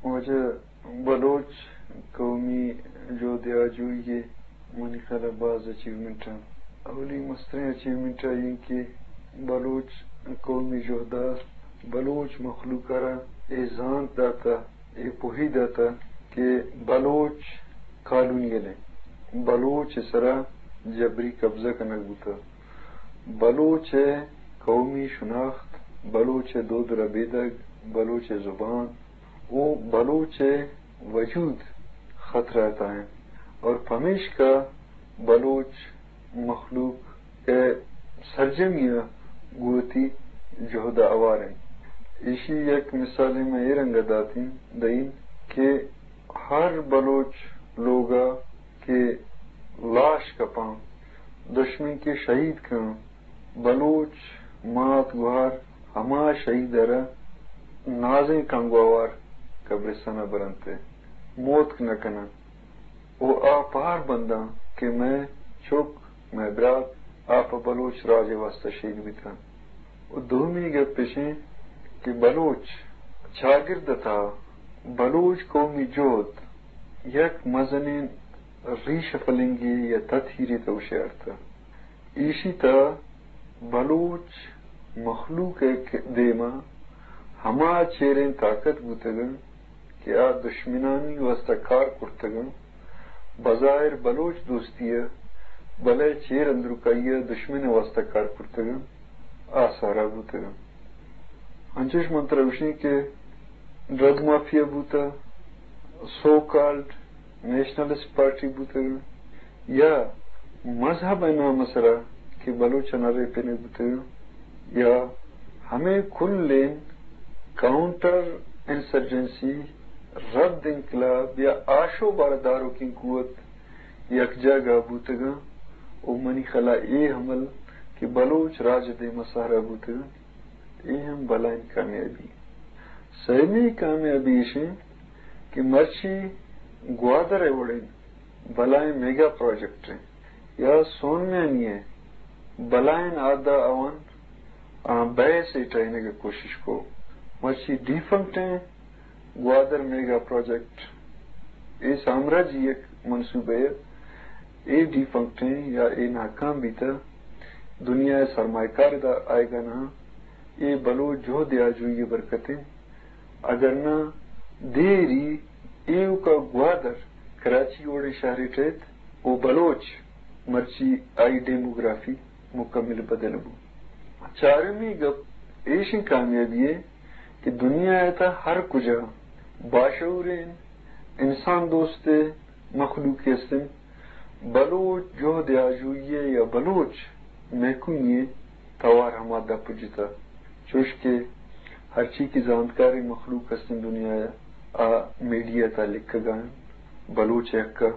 واجہ، بلوچ قومی جہد آجوئی ء منی خیال ء باز اچیومنٹ انت۔ اولی مستریں اچیومنٹ ء ایں کہ بلوچ قومی جہد ء بلوچ مخلوق ء را اے زانت داتہ، اے پوہی داتہ کہ بلوچ کالونیل انت، بلوچ ء سرا جبری قبضہ کنگ بوتہ، بلوچ ء قومی شناخت، بلوچ ء دود ربیدگ، بلوچ ء زبان، و بلوچ ء وجود خطرہ ء تہا انت اور پمیشکا بلوچ مخلوق ء سرجمی ء گوں وتی جہد ء ہوار انت۔ ایشی یک مثالے من اے رنگ ء داتیں، دئیں کہ ہر بلوچ لوگ ء کہ لاش کپاں، دشمن کہ شہید کن، بلوچ مات گوہار ہما شہید ء را نازیں کانگواوار قبرستان ء برنت ء موتک نہ کناں و آ پہر بنداں کہ مئے چک، مئے برات آ پہ بلوچ راج ء واستہ شہید بیتاں۔ و دومی گپ اش انت کہ بلوچ چاگرد ء تہا بلوچ قومی جہد یک مزنیں ریشہ فلنگے یا تتھیرے تہ گوشے ارتہ۔ ایشی تہ بلوچ مخلوق ء دیما ہما چیریں طاقت بوتگ انت کہ آ دشمنانی واستہ کار کرتگ انت، بظاہر بلوچ دوستی ء، بلے چیر اندرکائی ء دشمن ء واستہ کار کرتگ انت، آ سہرا بوتگ انت۔ انچوش من ترا گوشیں کہ ڈرگ مافیا بوتہ، سو کالڈ نیشنلسٹ پارٹی بوتگ یا مذہب ء نام ء سرا کہ بلوچاں ریپینگ بوتگ یا ہمے کلیں کاؤنٹر انسرجنسی، رد انقلاب یا آشوب ء را داروکیں قوت یک جاگہ بوتگاں و منی خیالا اے عمل کہ بلوچ راج ء دیما سہرا بوتگاں، اے ہم بلائیں کامیابی۔ سیمی کامیابی ایش انت کہ مرچی گوادر ء وڑیں بلائیں میگا پروجیکٹ انت یا سونمیانی ء بلائیں عہدہ اوان آ بیس ء ٹہینگ ء کوشش کو۔ مرچی ڈیفنکٹ انت گوادر میگا پروجیکٹ، اے سامراجی یک منصوبہ ء، اے ڈیفنکٹ انت یا اے ناکام بیتہ، دنیا ء سرمایہ کار ادا آئیگا نہ، اے بلوچ جہد آجوئی ء برکت انت۔ اگر نہ دیری ایوکا گوادر کراچی وڑیں شہرے ٹہیت و بلوچ مرچی آئی ڈیموگرافی مکمل بدل بو۔ چارمی گپ ایشیں کامیابی ء کہ دنیا ء تہ ہر کجا باشعوریں انسان دوست مخلوق است انت، بلوچ جہد آجوئی ء یا بلوچ مہکوئی ء توار ہما دپ جتہ، چوش کہ ہرچی کہ زانتکاریں مخلوق است انت دنیا ء، آ میڈیا تہا لکھگا انت بلوچ ء حق ء،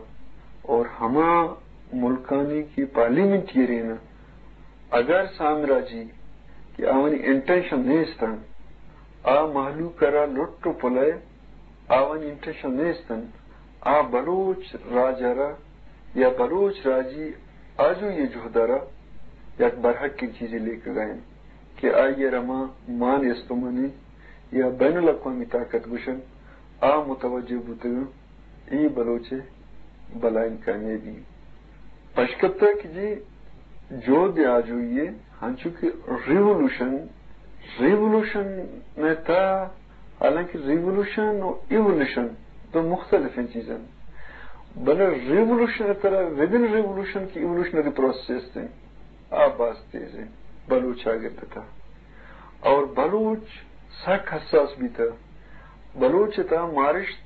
اور ہما ملکانی کہ پارلیمنٹیرین انت، اگر سامراجی کہ آوانی انٹینشن نیست انت، آ مہلوک ء را لٹ و پلئے آوانی انٹینشن نیست انت، آ بلوچ راج ء را یا بلوچ راجی آجوئی ء جہد ء را یک برحقیں چیزے لیکگا انت کہ آئی ء را ما مان استمانی یا بین الاقوامی طاقت گوشن، آ متوجہ بوتگ انت۔ اے بلوچ ء بلائیں کامیابی۔ پشکپتہ کہ جی جہد آجوئی ء ہنچو کہ ریولوشن، ریولوشن ء تہ، حالانکہ ریولوشن و ایولوشن دو مختلفیں چیز انت، بلے ریولوشن ء ترا ودن ریولوشن کہ ایولوشنری پروسیس است انت، آ باز تیز انت بلوچ چاگرد ء تہ۔ اور بلوچ سک حساس بیتہ۔ بلوچ ء تہ مارشت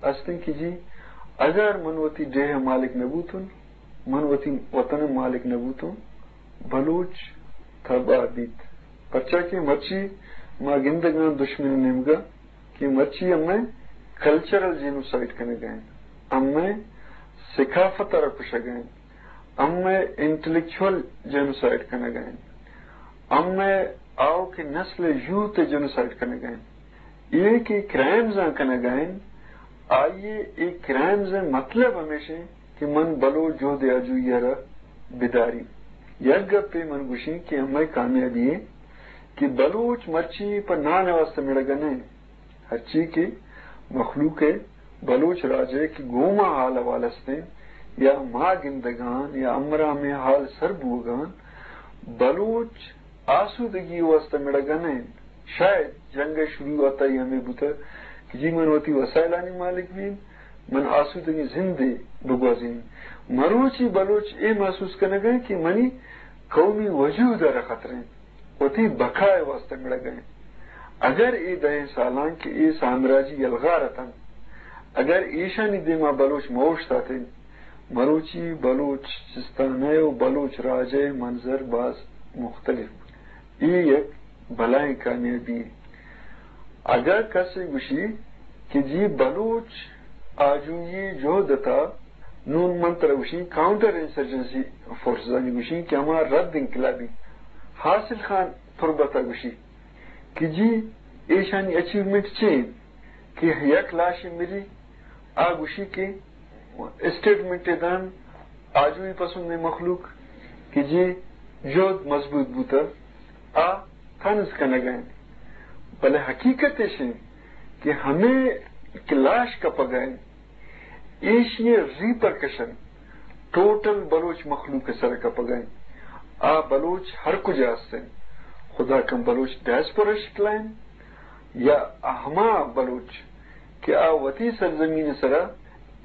است انت کہ جی اگر من وتی ڈیہہ ء مالک نہ بوتن، من وتی وطن ء مالک نہ بوتن، بلوچ تباہ بیت۔ پرچا کہ مرچی ما گندگاں دشمن ء نیمگا کہ مرچی ہمے کلچرل جینوسائیڈ کنگا انت، ہمے ثقافت ء را کشگا انت، ہمے انٹلیکچوئل جینوسائیڈ کنگا انت، ہمے آؤکیں نسل ء یوتھ ء جینوسائیڈ کنگا انت۔ اے کہ کرائمز آں کنگا انت، آئی ء اے کرائمز ء مطلب ہمیش انت کہ من بلوچ جہد آجوئی ء را بداری۔ یک گپے من گوشیں کہ ہمے کامیابی انت کہ بلوچ مرچی پہ نان ء واستہ مڑگا نہ انت، ہرچی کہ مخلوق ء، بلوچ راج ء کہ گوں ما حال احوال استیں یا ما گندگان یا امرا ہمے حال سر بوگان، بلوچ آسودگی واسطہ مڑگا نہ انت۔ شاید جنگ ء شروعات ء ہمے بوتہ کہ جی من وتی وسائلانی مالک بین، من آسودگیں زندے بگوازین۔ مروچی بلوچ اے محسوس کنگ ء کہ منی قومی وجود ء را خطرہ انت، وتی بقا ء واسطہ مڑگ ء انت۔ اگر اے دہیں سالاں کہ اے سامراجی یلغار اتنت، اگر ایشانی دیما بلوچ مہ اوشتاتیں، مروچی بلوچستان ء و بلوچ راج ء منظر باز مختلف بوت۔ اے یک بلائیں کامیابی۔ اگاں کسے گوشی کہ جی بلوچ آجوئی جہد ء تھا، نون من ترا گوشیں کاؤنٹر انسرجنسی فورسز آنی گوشیں کہ ہما رد انقلابی۔ حاصل خان تربت ء گوشی کہ جی ایشانی اچیومنٹ چے انت؟ کہ یک لاشے مری، آ گوشی کہ اسٹیٹمنٹے دان آجوئی پسندیں مخلوق کہ جی جہد مضبوط بوتہ، آ طنز کنگ ء انت۔ بلے حقیقت ایش انت کہ ہمے کہ لاش کپگ ء انت، ایشی ء ریپرکشن ٹوٹل بلوچ مخلوق ء سر ء کپگ ء انت۔ آ بلوچ ہر کجا است انت، خدا کن بلوچ ڈائسپورا شکل ء انت، یا ہما بلوچ کہ آ وتی سرزمین ء سرا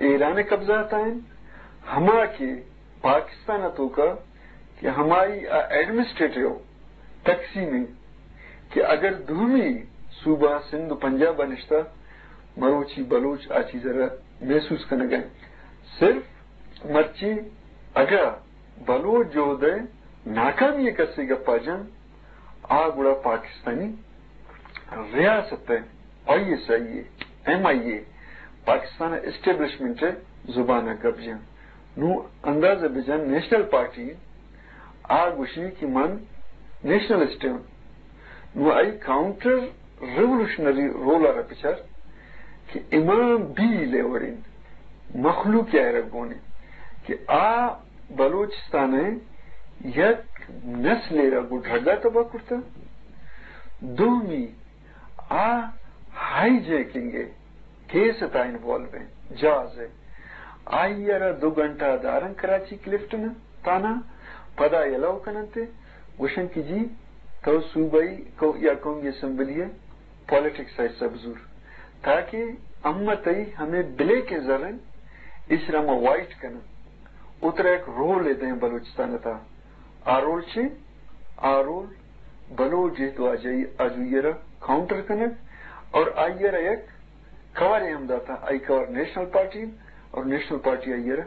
ایران ء قبضہ ء تھا انت، ہما کہ پاکستان ء توکا کہ ہمائی آ ایڈمنسٹریٹو تقسیم انت کہ اگر دومی صوبہ سندھ و پنجاب ء نشتہ، مروچی بلوچ آ چیز ء را محسوس کنگ ء انت۔ صرف مرچی اگاں بلوچ جہد ء ناکامی ء کسے گپا جن، آ گڑا پاکستانی ریاست ء، آئی ایس آئی ء، ایم آئی اے، پاکستان ء اسٹیبلشمنٹ ء زبان ء گپ جن۔ نوں اندازہ بجن نیشنل پارٹی آ گوشی کہ من نیشنلسٹ ہوں۔ نوں آئی کاؤنٹر ریولوشنری رول ء را بچار کہ امام بیل ء وڑیں مخلوق ء را گون انت کہ آ بلوچستان ء یک نسلے را گوں ڈرگ ء تباہ کرتہ۔ دومی آ ہائی جیکنگ ء کیس ء تھا انوالو انت، جاز ء۔ آئی ء را دو گھنٹہ دارن کراچی کلفٹن تھانہ، پدا یلو کننت ء گوشن کہ جی تو صوبائی کو-، یا قومی اسمبلی ء پالیٹکس ء حصہ بزور، تاکہ امت ء ہمے بلیک ء زر انت، ایشرا ما وائٹ کنن، اترا یک رول ء دیں بلوچستان ء تھا۔ آ رول چے؟ آ رول بلوچ جہد و آجائی-، آجوئی ء را کاؤنٹر کنگ اور آئی ء را یک کورے ہم داتا، آئی کور نیشنل پارٹی اور نیشنل پارٹی آئی ء را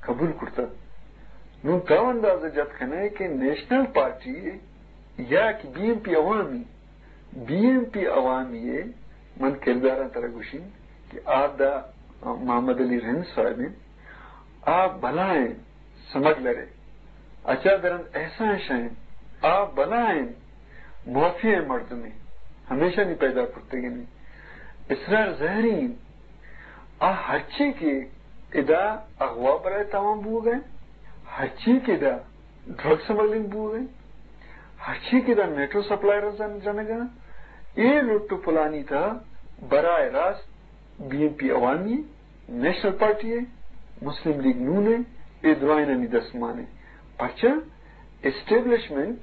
قبول کرتا۔ نوں تو اندازہ جت کنے کہ نیشنل پارٹی یا کہ بی ایم پی عوامی، بی ایم پی عوامی ء من کرداراں ترا گوشیں کہ آ دا محمد علی رند صاحب انت، آ بلائیں سمگلرے، اچا درند احسان شاہ انت، آ بلائیں مافیا مردمے، ہمیشانی پیدا کرتگنی۔ اسرار زہری انت، آ ہرچی کہ ادا اغوا برائے تاوان بوگ ء انت، ہرچی کہ ادا ڈرگ سمگلنگ بوگ ء انت، ہرچی کہ ادا میٹرو سپلائر جن-، جنگ ء انت، اے لٹ و پلانی تھا براہ راست بی ایم پی عوامی، نیشنل پارٹی ء، مسلم لیگ نون ء، اے درائینانی دستمان ء۔ پرچا؟ اسٹیبلشمنٹ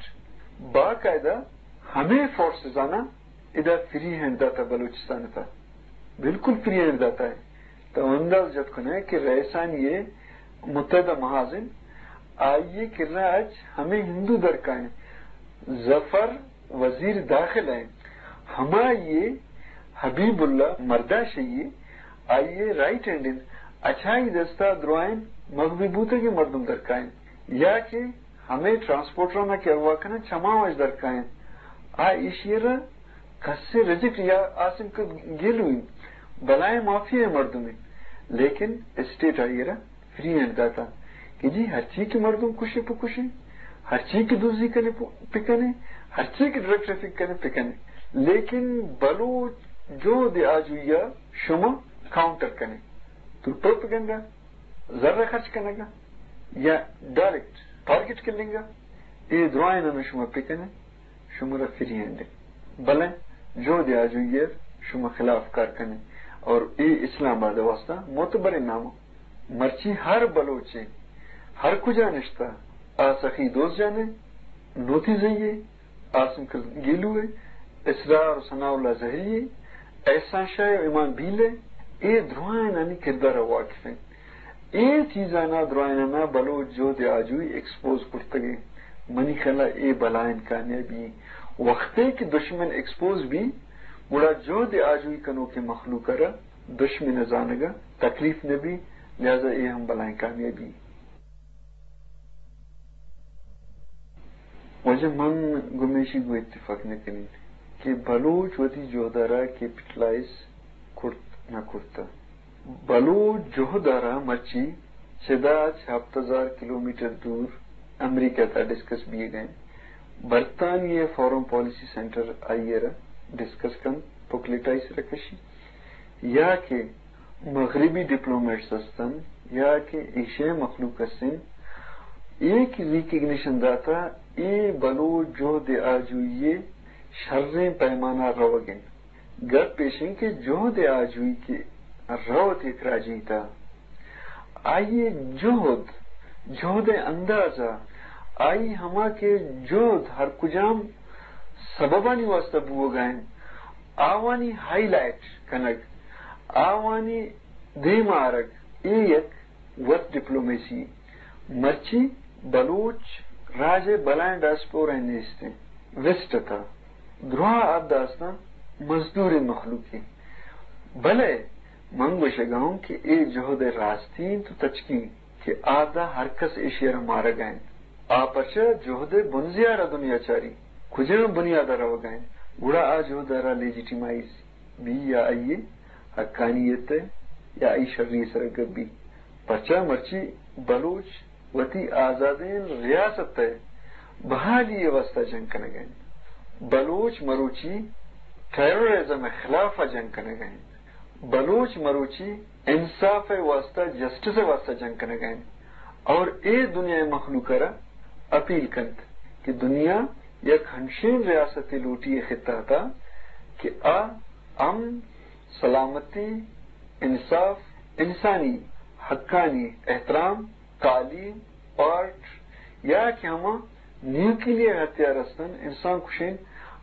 باقاعدہ ہمے فورسز آناں ادا فری ہینڈ داتا بلوچستان ء تھا۔ بالکل فری ہینڈ داتا ہے۔ تو انداز جت کنے کہ رئیسانی متحدہ محاذ انت، آئی ء کرا اچ ہمے ہندو درکائیں۔ ظفر وزیر داخلہ انت، ہمائی ء حبیب اللہ مرداشئی ء، آئی ء رائٹ ہینڈ انت، اچھائی دستا درائیں مغوی بوتگیں مردم درکائیں، یا کہ ہمے ٹرانسپورٹرانا کہ اغوا کنن چماں اش درکائیں۔ آ ایشی ء را کسے ریجیکٹ یا آسم کہ گیلو انت، بلائیں مافیا مردم انت، لیکن اسٹیٹ آئی ء را فری ہینڈ داتا کہ جی ہرچی کہ مردم کشے پہ کشے، ہرچی کہ دزی کنے پہ، پہ کنے، ہرچی کہ ڈرگ ٹریفک کنے پہ کنے، لیکن بلوچ جہد آجوئی ء شما کاؤنٹر کنے۔ تو پروپیگنڈا، زر خرچ کنگا یا ڈائریکٹ ٹارگٹ کلنگا، اے درائیں ہمیں شما پہ کنے۔ شمارا فری ہینڈ انت، بلے جہد آجوئی ء شما خلاف کار کنے۔ اور اے اسلام آباد ءِ واستہ معتبریں نام۔ مرچی ہر بلوچے ہر کجا نشتہ، آ سخی دوست جان ءِ، نوتی زئی ءِ، عاصم گیلو ءِ، اسرار و ثناء اللہ زہری ءِ، احسان شاہ و ایمان بیل ءِ، اے درائینانی کردار ءَ واقف انت۔ اے چیزانا درائینانا بلوچ جہد آجوئی ایکسپوز کرتگیں۔ منی خیالا اے بلائیں کامیابی۔ وختے کہ دشمن ایکسپوز بی، گڑا جہد آجوئی کنوکیں مخلوق ءَ را دشمن ءِ زانگ ءَ تکلیف نہ بی، لہذا اے ہم بلائیں کامیابی۔ واجہ، من گمیشی گوں اتفاق نہ کنین کہ بلوچ وتی جہد ءَ را کیپٹلائز کرت نہ کرتہ۔ بلوچ جہد ءَ را مرچی چدا چہ ہپت ہزار کلومیٹر دور امریکہ تا ڈسکس بیگ ءَ انت۔ برطانیہ فارن پالیسی سینٹر آئی ءَ را ڈسکس کنت، بکلیٹ آئی سرا کشی۔ یا کہ مغربی ڈپلومیٹس ہستن یا کہ ایشیائی مخلوق ہستن، اے کہ ریکگنیشن داتا، اے بلوچ جہد آجوئی شریں پیمانا روگ انت۔ گپ ایش انت کہ جہد آجوئی کہ روت یک راجی تا، آئی جہد، جہد اندازہ، آئی ہما کہ جہد ہر کجام سببانی واسطہ بوگا انت، آوانی ہائی لائٹ کنگ، آوانی دیم آرگ، اے یک وت ڈپلومیسی۔ مرچی بلوچ راج ءِ بلائیں ڈائسپورا نیست انت، ویسٹ تا دراہ آ داستان مزدوریں مخلوقی۔ بلے من گوشگا اوں کہ اے جہد راستی انت و تچکی انت کہ آ دا ہر کس ایشی ءَ را مارگا انت۔ آ پرچا جہد ءِ بنزیا را دنیا چاری، کجام بنیادا روگا انت، گڑا آ جہد ءَ را لیجیٹیمائز بی یا آئی حقانیت ءِ یا آئی شری ءِ سرا گپ بی۔ پرچا مرچی بلوچ وتی آزادیں ریاست ءِ بحالی ءِ واسطہ جنگ کنگا انت۔ بلوچ مروچی ٹیررزم ءِ خلاف ءَ جنگ کنگا انت۔ بلوچ مروچی انصاف ءِ واسطہ، جسٹس ءِ واسطہ جنگ کنگا انت اور اے دنیا ءِ مخلوق ءَ را اپیل کنت کہ دنیا یک ہنشین ریاستے لوٹی اے خطہ تا کہ آ امن، سلامتی، انصاف، انسانی حقانی احترام، تعلیم، آرٹ یا کہ ہما نیوکلیئر ہتھیار ہستن، انسان کشین،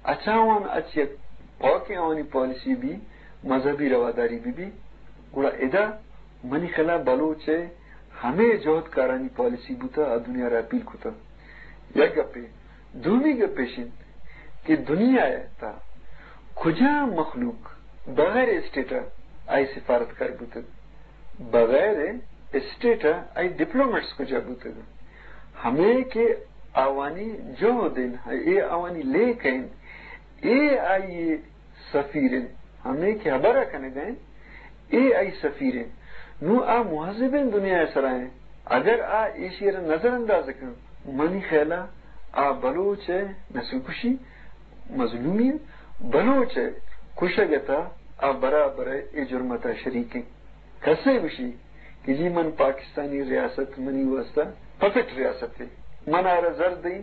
اچ آوان اچ یک پاکیں آوانی پالیسی بی، مذہبی رواداری بی بی، گڑا ادا منی خیالا بلوچ ءِ ہمے جہدکارانی پالیسی بوتہ، آ دنیا را اپیل کتہ۔ یک گپے۔ دومی گپ ایش انت کہ دنیا ءِ تہا کجام مخلوق بغیر اسٹیٹ ءَ آئی سفارتکار بوتگ؟ بغیر اسٹیٹ ءَ آئی ڈپلومیٹس کجا بوتگ؟ ہمے کہ آوانی جہد انت، اے آوانی لیکہ انت، اے آئی سفیر انت، ہمے کہ ہبرا کنگا انت، اے آئی سفیر انت۔ نوں آ مہذبیں دنیا ءِ سرا انت۔ اگر آ ایشی ءَ را نظر انداز کنت، منی خیالا آ بلوچ ءِ نسل کشی، مظلومی، بلوچ ءِ کشگ ءِ تہا آ برابر ءَ اے جرم ءِ تہا شریک انت۔ کسے گوشی کہ جی من پاکستانی ریاست منی واسطہ پپٹ ریاستے، من آرا زر دئی،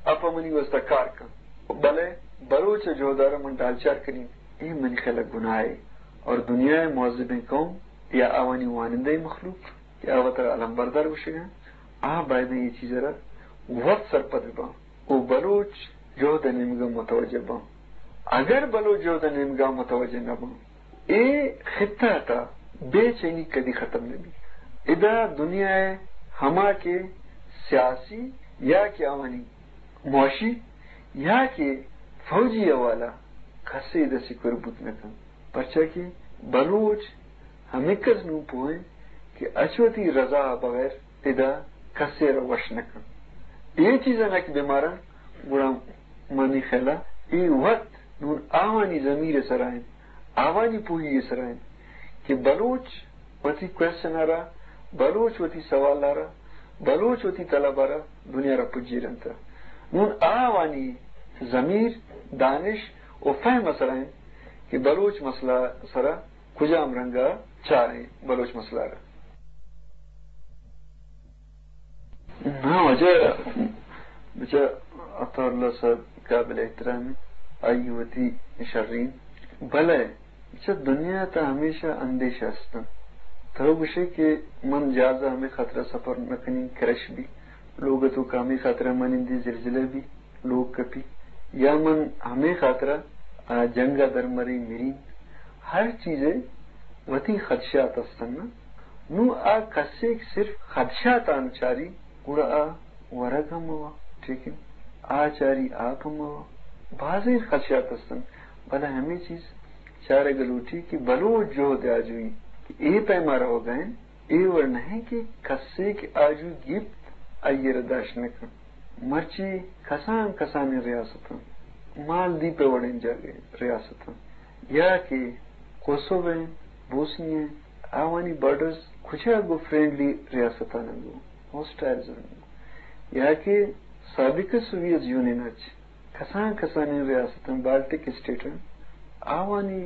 آ پہ منی واسطہ کار کن، بلے بلوچ ءِ جہد ءَ را من ڈالچار کنین، اے منی خیالا گناہے۔ اور دنیا ءِ مہذبیں قوم یا آوانی وانندہ مخلوق کہ آ وترا علمبردار گوشگا انت، آ بایدیں اے چیز ءَ را وت سرپد باں و بلوچ جہد ءِ نیمگا متوجہ باں۔ اگر بلوچ جہد ءِ نیمگا متوجہ نہ باں، اے خطہ ءِ تہا بے چینی کدی ختم نہ بی۔ ادا دنیا ءِ ہما کہ سیاسی یا کہ آوانی معاشی یا کہ فوجی حوالہ کسے ادا سیکور بوت نہ کنت، پرچا کہ بلوچ ہمکس نوں پوہ انت کہ اچ وتی رضا بغیر ادا کسے را وش نہ کنت۔ اے چیزانا کہ بمارن، گڑا منی خیالا اے وت نوں آوانی ضمیر ءِ سرا انت، آوانی پوہی ءِ سرا انت کہ بلوچ وتی کوئسچن ءَ را، بلوچ وتی سوال ءَ را، بلوچ وتی طلب ءَ را دنیا ءَ را پجیرنت۔ نوں آوانی ضمیر، دانش و فہم ءِ سرا انت کہ بلوچ مسئلہ ءِ سرا کجام رنگ ءَ چاریں بلوچ مسئلہ ءَ را۔ ہاں واجہ، بچا عطا اللہ صاحب قابل احترام انت، آئی وتی شریں، بلے چہ دنیا ءَ تہ ہمیشہ اندیشہ است انت۔ تو گوشے کہ من جہاز ءَ ہمے خاطر ءَ سفر نہ کنیں، کرش بی، لوگ ءِ توکا ہمے خاطر ءَ منندی زلزلہ بی، لوگ کپی، یا من ہمے خاطر ءَ، آ، جنگ ءَ در مریں، مریں۔ ہر چیز ءِ وتی خدشات است انت۔ نوں آ کسے کہ صرف خدشاتاں چاری، گڑا آ ورگ ہم موا، ٹھیک ہے، آ چاری آپ ہم موا۔ بازیں خدشات است انت، بلے ہمے چیز چارگ لوٹی کہ بلوچ جہد آجوئی کہ اے پیما روگا انت، اے وڑ نہ انت کہ کسے کہ آجوئی گیپت، آئی ءَ را داشت نہ کن۔ مرچی کسان کسانیں ریاستاں، مالدیپ ءِ وڑیں جاگہے ریاستاں، یا کہ کوسوو انت، بوسنی انت، آوانی بارڈرز کجا گوں فرینڈلی ریاستاں گوں، ہوسٹائل زون گوں، یا کہ سابق سوویت یونین ءَ چہ کسان کسانیں ریاستاں، بالٹک اسٹیٹاں، آوانی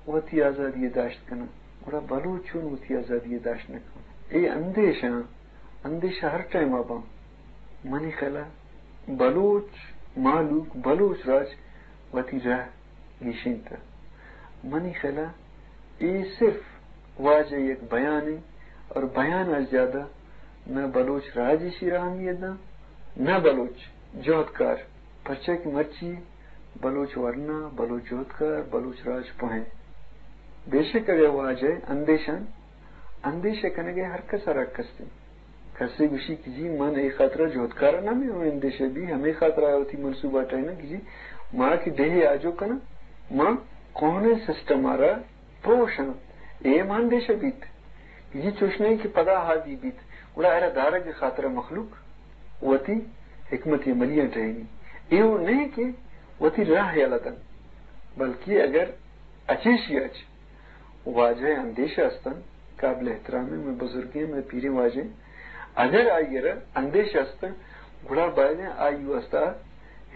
وتی آزادی ءَ داشت کناں، گڑا بلوچ چون وتی آزادی ءَ داشت نہ کن؟ اے اندیشاں، اندیشہ ہر ٹائم ءَ باں۔ منی خیال ءَ بلوچ مہلوک، بلوچ راج وتی راہ گیشینتہ۔ منی خیال ءَ اے صرف واجہ یک بیانے اور بیان ءَ زیادہ نہ بلوچ راج ایشی را اہمیت داں، نہ بلوچ جہدکار، پرچا کہ مرچی بلوچ ورنا، بلوچ جہدکار، بلوچ راج پوہیں۔ بے شک اگہ واجہ اندیشان، اندیشہ کنگ ءِ ہر کس ءَ را حق است انت۔ کسے گوشی کہ جی من اے خاطرا جہدکار نہ میں، اندیشہ بی ہمے خاطرا وتی منصوبہ ٹہیناں کہ جی ما کہ ڈیہے آجو کناں، ما کوہنیں سسٹم ءَ را پروشاں۔ اے ما اندیشہ بیت کہ جی چوش نہیں کہ پدا ہادی بیت، گڑا ارا دارگ ءِ خاطرا مخلوق وتی حکمت عملیاں ٹہینی۔ اے وڑ نہیں کہ وتی راہ یلہ دن، بلکہ اگر اچیشی اچ واجہ اندیشہ استن، قابل احترام ہیں، میں بزرگیں، میں پیریں واجہ ہیں۔ اگر آئی را اندیشہ استن، گڑا باید ہیں آئی واسطہ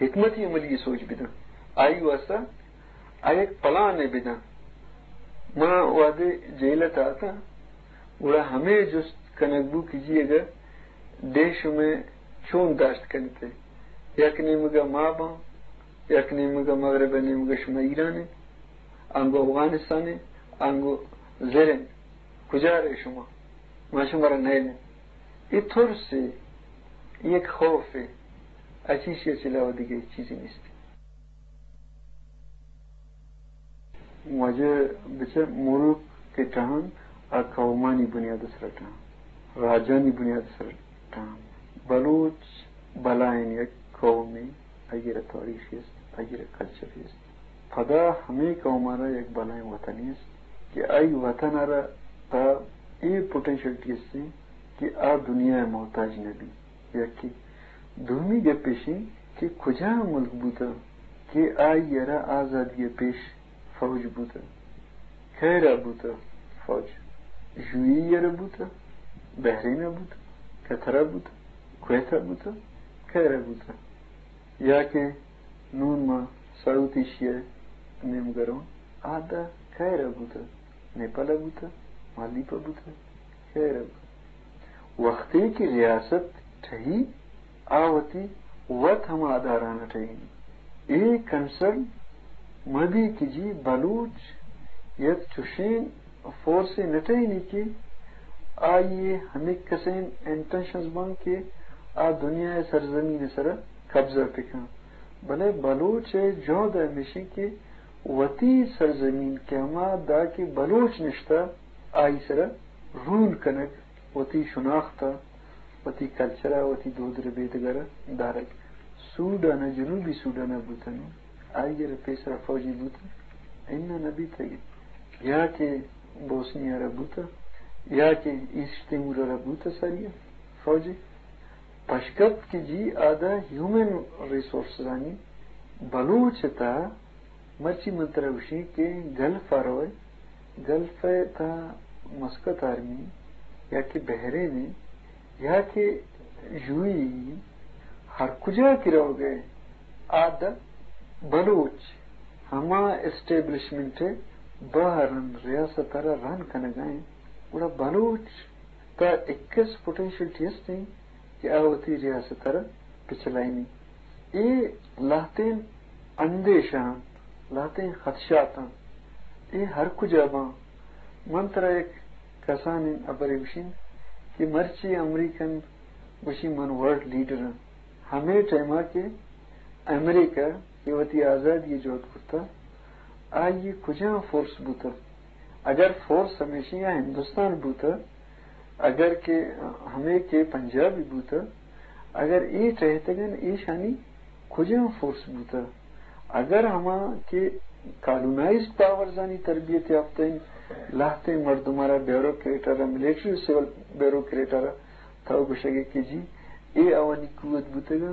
حکمت عملی سوچ بدن، آئی واسطہ آ یک پلانے بدن۔ ما وہدے جیل ءَ تاتاں، گڑا ہمے جست کنگ بو کہ جی اگر ڈیہہ شمے چون داشت کنتے، یک نیمگا ما باں، یک نیمگا مغرب ءِ نیمگا شما ایران انت، آنگو افغانستان انت، آنگو زر انت، کجا رہے شما؟ ما شما را نیلیں۔ اے ترس ہے، یک خوف ہے، اچیشی چہ علاوہ دگہ ہچ چیزے نیست۔ واجہ بچار، ملک کہ ٹہان، آ قومانی بنیاد سر ٹہان، راجانی بنیاد سر ٹہان۔ بلوچ بلائیں یک قومے، آئی را تاریخ است، آئی را کلچر است۔ پدا ہمے قوم را یک بلائیں وطنے است کہ آئی وطن را تا اے پوٹینشلٹی است کہ آ دنیا محتاج نہ بی۔ یکے۔ دومی گپ ایش انت کہ کجا ملک بوتہ کہ آئی ء را آزادی ء پیش فوج بوتہ؟ کئے را بوتہ فوج؟ یو اے ای ء را بوتہ؟ بحرین ء بوتہ؟ قطر ء بوتہ؟ کویت ء بوتہ؟ کئے را بوتہ؟ یا کہ نون ما ساؤتھ ایشیا ء نیمگ ء رواں، آ داں کئے را بوتہ؟ نیپال ء بوتہ؟ مالدیپ ء بوتہ؟ کئے را بوتہ؟ وختے کہ ریاست ٹہی، آ وتی وت ہما ادارہاں ٹہینی۔ اے کنسرن مہ بی کہ جی بلوچ یک چشیں فورسے نہ ٹہینی کہ آئی ء ہمک کسیں انٹینشنز باں کہ آ دنیا ء سرزمین ء سرا قبضہ بکن، بلے بلوچ ء جہد ہمیش انت کہ وتی سرزمین کہ ہما دا کہ بلوچ نشتہ، آئی سرا رول کنگ، وتی شناخت ء، وتی کلچر ء، وتی دود ربیدگ ء را دارگ۔ سوڈان ء، جنوبی سوڈان ء بوتگ، آئی ء را پیسرا فوجے بوتگ؟ اناں نہ بیتگ۔ یا کہ بوسنیا ء را بوتگ، یا کہ ایسٹ تیمور ء را بوتگ ساری ء فوجے۔ پشکپت کہ جی آ داں ہیومن ریسورسزانی بلوچ ء تہا مرچی من ترا گوشیں کہ گلف ء روئے، گلف ء تہا مسقط آرمی یا کہ بحرین یا کہ یو اے ای، ہر کجا کہ روگ ء آ داں بلوچ ہما اسٹیبلشمنٹ ء بہرن ریاست ء را رن کنگ ء انت، گڑا بلوچ تا اکس پوٹینشلٹی است انت کہ آ وتی ریاست ء را پچلائینی۔ اے لہتیں اندیشہ انت، لہتیں خدشات انت۔ اے ہر کجا باں۔ من ترا یک کسانیں ہبرے گوشیں کہ مرچی امریکن گوشی من ورلڈ لیڈر آں۔ ہمے ٹائما کہ امریکہ کہ وتی آزادی جہد کرتا، آئی کجام فورس بوتا؟ اگر فورس ہمیشی یا ہندوستان بوتا، اگر کہ ہمے کہ پنجابی بوتا، اگر اے ٹہتگن ایشانی کجام فورس بوتا؟ اگر ہما کہ کالونائزڈ پاورزانی تربیت یافتہ لہتیں مردمارا بیوروکریٹارا، ملٹری سول بیوروکریٹارا تو گوشگے کہ جی اے آوانی قوت بوتگا،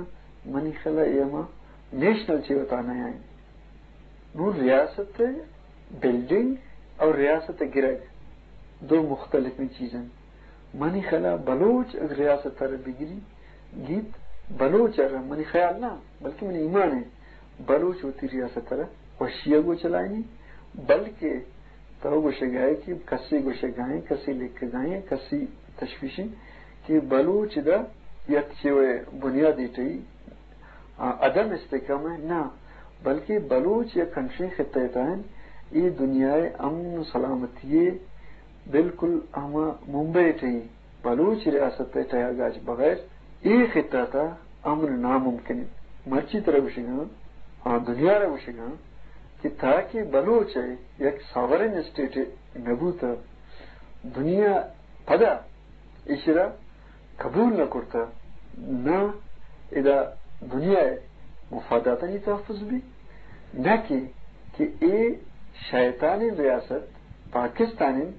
منی خیالا اے ہما نیشنل چے وتا نیائیں۔ نوں ریاست بلڈنگ اور ریاست گرگ دو مختلفیں چیز انت۔ منی خیالا بلوچ اگر ریاست ء را بگری گیت، بلوچ ء را منی خیال نہ، بلکہ منی ایمان ہے، بلوچ وتی ریاست ء را خوشی ء گوں چلائینی، بلکہ تو گوشگائے کہ کسی گوشگائیں، کسی لکھگائیں، کسی تشویشیں کہ بلوچ دا یک چیوے بنیادی ٹی آ، عدم استحکام ء نہ، بلکہ بلوچ یک انچیں خطہ ء تہ انت، اے دنیا ء امن و سلامتی ء بالکل ہما ممبئی ء تئی بلوچ ریاست ء تہا گاچ بغیر اے خطہ ء تہ امن ناممکن انت۔ مرچی ترا گوشگاں، آ، دنیا را گوشگاں کہ تاکہ بلوچ ء یک ساورن اسٹیٹ نہ بوتہ، دنیا پدا ایشرا قبول نہ کرتہ، نہ ادا دنیا ء مفاداتانی تحفظ بی، نہ کہ، کہ اے شیطانیں ریاست پاکستانیں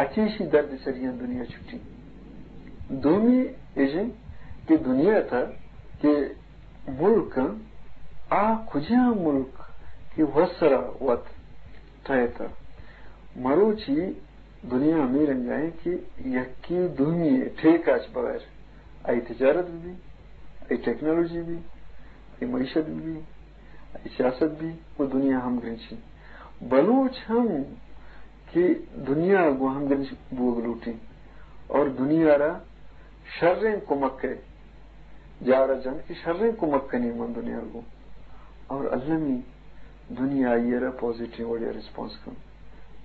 اچیشی درد سریاں دنیا چھٹی۔ دومی ایشیں کہ دنیا تھا کہ ملک آ کجا ملک کہ وسرا وت ٹھہتا۔ مروچی دنیا ہمے رنگا ہے کہ یکی دومی ٹھیکاچ بغیر آئی تجارت بھی، آئی ٹیکنالوجی بھی، آئی معیشت بھی، آئی سیاست بھی، وہ دنیا ہم گرنچی۔ بلوچ ہم کہ دنیا گو ہم گرنچ بوگ لوٹی اور دنیا را شریں کمک ہے، جارا جن کہ شریں کمک کنی من دنیا گو اور المی دنیا آئی را پازیٹیو وڑیا ریسپانس کن۔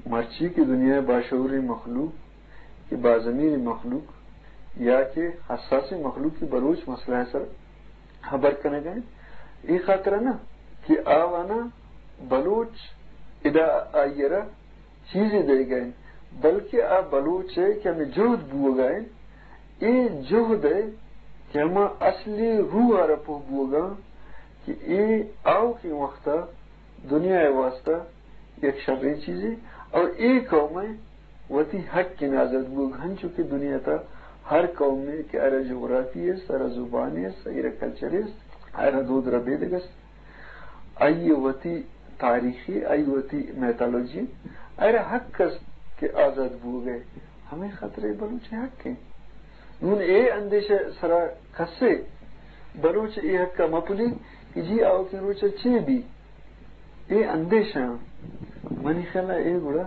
مرچی کہ دنیا باشعوریں مخلوق کہ باضمیر مخلوق یا کہ حساس مخلوق کہ بلوچ مسئلہ سر خبر کنگ ء اے خاطر نہ کہ آوانا بلوچ ادا آئی را چیزے دیگ ء، بلکہ آ بلوچ ء کہ ہمیں جہد بوگ ء، اے جہد ء کہ ہما اصلی روح ء را پوہ بوگ ء کہ اے آؤکیں وقت ء دنیا ء واسطہ یک شریں چیزے اور اے قوم ء وتی حق ء آزاد بوگ، ہنچو کہ دنیا تا ہر قوم ء کہ ارا جغرافی است، ارا زبان است، ارا کلچر است، ارا دود ربیدگ است، آئی وتی تاریخی، آئی وتی میتالوجی، ارا حق است کہ آزاد بوگ ء، ہمیں خاطر بلوچ حق ہیں۔ نون اے اندیشہ سرا کسے بلوچ اے حق ء مپلی کہ جی آؤکیں روچ ء چے بی؟ اے اندیشہ منی خیال ء اے گڑا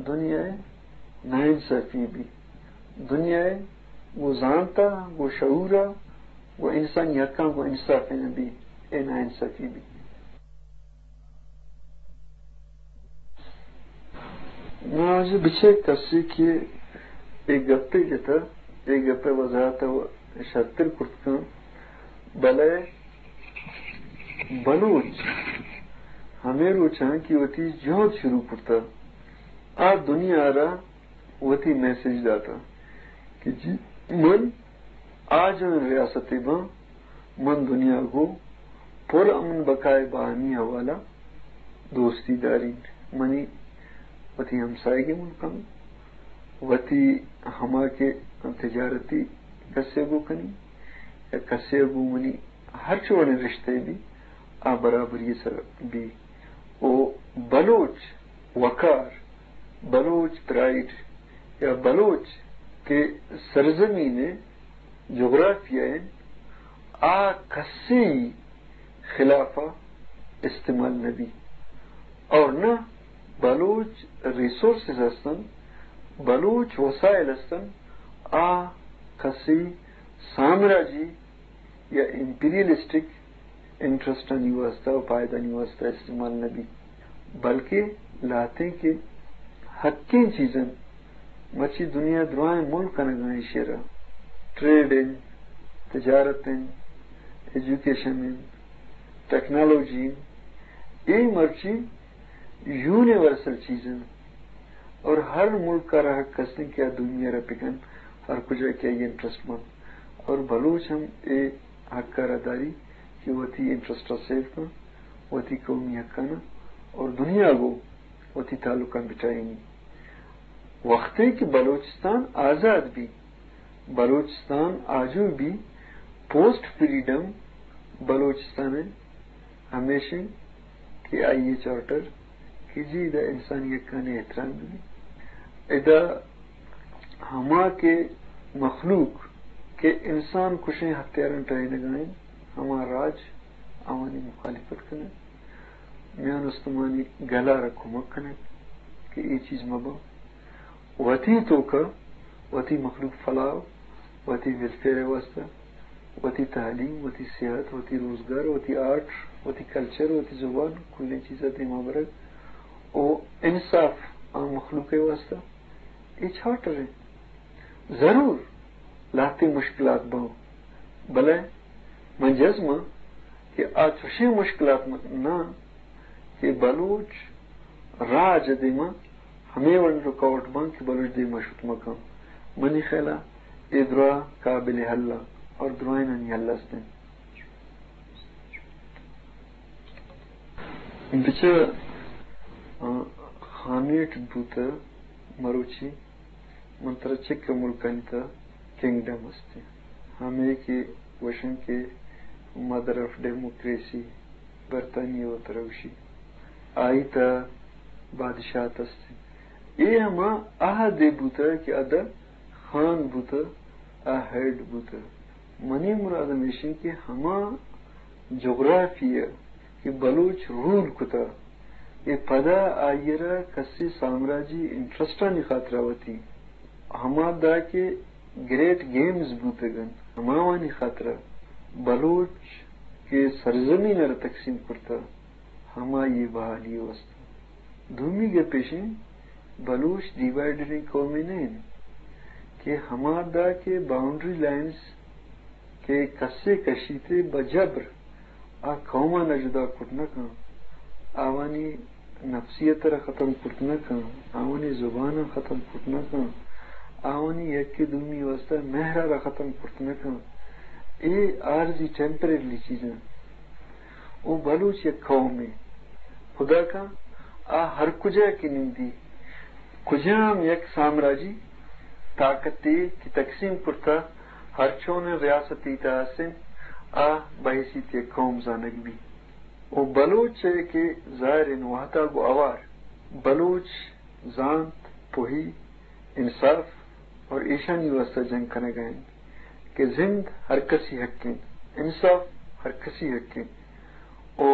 دنیا ء ناانصافی بی۔ دنیا ء گو زانتا، گو شعورا، گو انسانی حقاں گو انصاف نہ بی۔ اے ناانصافی بی۔ ناجی بچے کسی کہ اے گپے جتا، اے گپے وضاحت و شرتر کرت کن، بلے بلوچ ہمے روچاں کہ وتی جہد شروع کرتا، آ دنیا را وتی میسج داتا کہ جی من آجوئیں ریاستے باں، من دنیا گو پر امن بقائے باہمی حوالہ دوستی دارین۔ منی وتی ہمسائگی ملکاں، وتی ہما کہ تجارتی کسے گو کنی یا کسے گو منی ہر چوڑیں رشتے بی، آ برابری سر بی۔ او بلوچ وقار، بلوچ پرائیڈ یا بلوچ کہ سرزمین جغرافیہ انت، آ کسی خلاف استعمال نہ بی۔ اور نہ بلوچ ریسورسز ہستن، بلوچ وسائل ہستن، آ کسی سامراجی یا امپیریلسٹک انٹرسٹانی واسطہ و پائدانی واسطہ استعمال نہ بی، بلکہ لہتیں کہ حقیں چیز انت، مرچی دنیا درائیں ملک کنگا ایشی را، ٹریڈ انت، تجارت انت، ایجوکیشن انت، ٹیکنالوجی انت، اے مرچی یونیورسل چیز انت اور ہر ملک ء را حق است انت کہ آ دومی ء را بکن، ہر کجا کہ آئی انٹرسٹ بنت۔ اور بلوچ ہم اے حق ء را داری کہ وتی انٹرسٹ ء سیو کن، وتی قومی حقانا اور دنیا گو وتی تعلقاں بچائینی۔ وقتے کہ بلوچستان آزاد بی، بلوچستان آجو بی، پوسٹ فریڈم بلوچستان ء ہمیش انت کہ آئی ء چارٹر کہ جی ادا انسانی حقانی احترام بی۔ ادا ہما کہ مخلوق کہ انسان کشیں ہتھیاراں ٹہینگا انت، ہما راج آوانی مخالفت کننت، میان استمانی گل ء را کمک کننت کہ اے چیز مہ بنت۔ وتی توکا وتی مخلوق فلاح، وتی ویلفیئر ء واستہ، وتی تعلیم، وتی صحت، وتی روزگار، وتی آرٹ، وتی کلچر، وتی زبان، کلیں چیز ء دیما برگ و انصاف عام مخلوق ء واستہ اے چارٹر انت۔ ضرور لہتیں مشکلات بنت، بلے من جزم آں کہ آ چوشیں مشکلات نہ انت کہ بلوچ راج ء دیما ہمے وڑ رکاوٹ بنت کہ بلوچ دیما شت مہ کنت۔ منی خیالا اے دراہ قابل حل انت اور درائینانی حل است انت۔ بچار، آ، خانیٹ بوتہ مروچی من ترا چک ء ملکانی تہ کنگڈم است انت، ہمے کہ گوشن کہ مدر آف ڈیموکریسی، برطانیہ وترا گوشی، آئی تہ بادشاہت است انت۔ اے ہما عہدے بوتہ کہ ادا خان بوتہ، آ ہیڈ بوتہ۔ منی مراد ہمیش انت کہ ہما جغرافی ء کہ بلوچ رول کتہ، اے پدا آئی ء را کسے سامراجی انٹرسٹانی خاطرا وتی ہما دا کہ گریٹ گیمز بوتگ انت، ہماوانی خاطرا بلوچ کہ سرزمین ء را تقسیم کرتہ، ہمائی ء بحالی ء واستہ۔ دومی گپ ایش انت، بلوچ ڈیوائیڈڈیں قومے نہ انت کہ ہما دا کہ باؤنڈری لائنز کہ کسے کشیت ء بہ جبر آ قوماں ء جدا کت نہ کن، آوانی نفسیت ء را ختم کت نہ کن، آوانی زباناں ختم کت نہ کن، آوانی یکے دومی واستہ مہر ء را ختم کت نہ کن۔ اے عارضی، ٹیمپریریلی چیز انت۔ او بلوچ یک قومے، خدا کن آ ہر کجا کہ نندی، کجام یک سامراجی طاقتے کہ تقسیم کرتہ، ہر چونیں ریاستے تہ است انت، آ بحیثیت یک قوم زانگ بی۔ او بلوچ ء کہ ظاہر انت وہدا گوں ہوار بلوچ زانت، پوہی، انصاف اور ایشانی واستہ جنگ کنگا انت کہ زند ہر کسی حق انت، انصاف ہر کسی حق انت، او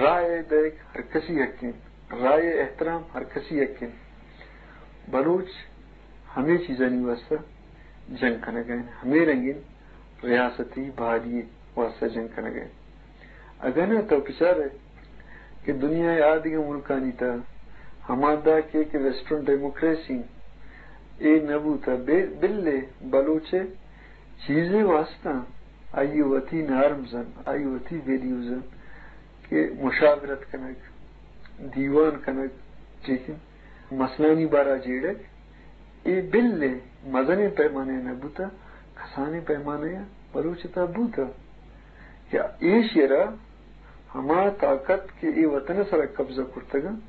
رائے دئیگ ہر کسی حق انت، رائے احترام ہر کسی حق انت۔ بلوچ ہمے چیزانی واستہ جنگ کنگا انت، ہمے رنگیں ریاستی بحالی واستہ جنگ کنگا انت۔ اگاں نہ تو بچارئے کہ دنیا ء آ دگہ ملکانی تہ ہما دا کہ، کہ ویسٹرن ڈیموکریسی اے نہ بوتہ، بے-، بلے بلوچ ء چیزے واستہ آئی وتی نارمز انت، آئی وتی ویلیوز انت کہ مشاورت کنگ، دیوان کنگ، ٹھیک انت، مسئلہانی بارا جیڑگ، اے بلے مزنیں پیمانہ ء نہ بوتہ، کسانیں پیمانہ ء بلوچ ء تہ بوتہ کہ ایشی ء را ہما طاقت کہ اے وطن ء سرا قبضہ کرتگ انت،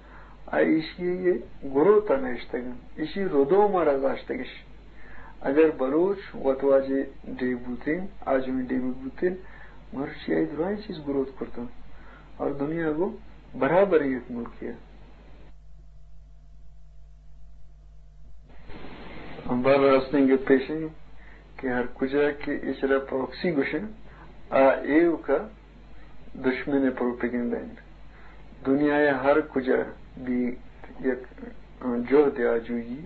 آ ایشی ء گروت ء نہ اشتگ انت، ایشی ردوم ء را داشتگ اش۔ اگر بلوچ وتواجہ ڈیھ بوتین، آجوئیں ڈیمک بوتین، مرچی آئی درائیں چیز گروت کرتن اور دنیا گوں برابریں یک ملکے ء۔ بہرحال راستیں گپ ایش انت کہ ہر کجا کہ ایشرا پراکسی گوشن، آ ایوکا دشمن ء پروپیگنڈا انت۔ دنیا ء ہر کجا بی یک جہد آجوئی،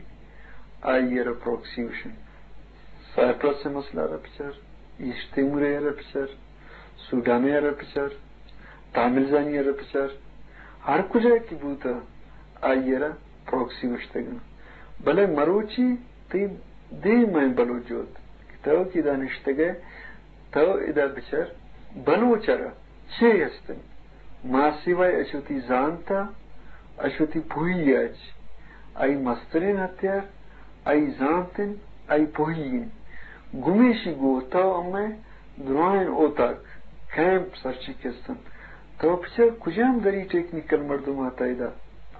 آئی ء را پراکسی گوشن۔ سائپرس ء مسئلہ ء را بچار، ایسٹ تیمور ء را بچار، سوڈان ء را بچار، تامل زانی ء را بچار، ہر کجا کہ بوتہ، آئی ءَ را پراکسی گوشتگ انت۔ بلے مروچی تئی دیم ءَ بلوچ جہد کہ تو کہ ادا نشتگ ئے، تو ادا بچار بلوچ ءَ را چے ہست انت؟ ماسیوائے اچ وتی زانت ءَ، اچ وتی پوہی ءَ اچ۔ آئی مستریں ہتیار آئی زانت انت، آئی پوہی انت۔ گمیشی گوں تو ہمے دراہیں اوتاک، کیمپ سرچی کست انت۔ تو بچار کجام دری ٹیکنیکل مردم آتا ادا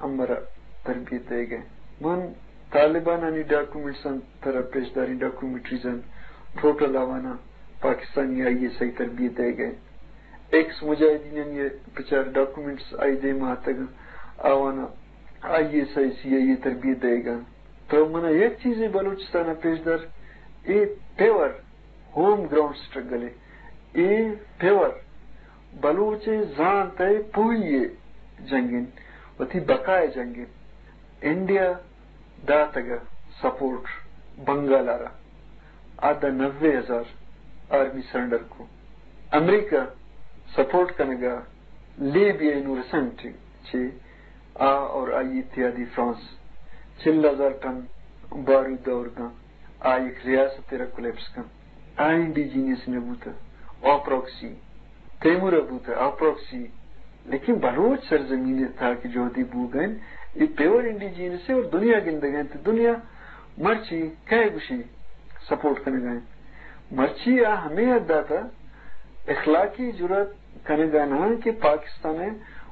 ہمرا تربیت دئیگ ءَ انت۔ من طالبانانی ڈاکومنٹس انت، ترا پیش داریں ڈاکومنٹریز انت، ٹوٹل آوانا پاکستانی آئی ایس آئی تربیت دئیگ ءَ انت۔ ایکس مجاہدینانی بچار ڈاکومنٹس آئی دیما اتگ انت، آوانا آئی ایس آئی، سی آئی اے تربیت دئیگ ءَ انت۔ تو منا یک چیزے بلوچستان ءَ پیش دار، اے پیور ہوم گراؤنڈ سٹرگل ءَ، اے پیور بلوچ ءِ زانت ءِ پوہی ءِ جنگ انت، وتی بقا ءِ جنگ انت۔ انڈیا داتگ ءَ سپورٹ بنگال ءَ را، آ داں نوے ہزار آرمی سرنڈر کو۔ امریکہ سپورٹ کنگ ءَ لیبیا انوسنٹ چہ آ اور آئی اتحادی فرانس چل ہزار ٹن بارود دور داں، آ یک ریاست ءَ را کولیپس کن۔ آ انڈیجینس نہ بوتہ، آ پراکسی۔ تیمور ءَ بوتہ، آ پراکسی۔ لیکن بلوچ سرزمین ءِ تہا کہ جہدے بوگ ءَ انت، اے پیور انڈیجینس ءَ اور دنیا گندگ ءَ انت۔ دنیا مرچی کئے گوشی سپورٹ کنگ ءَ انت؟ مرچی آ ہمے حد ءَ تہ اخلاقی جرات کنگ ءَ نہ انت کہ پاکستان ءِ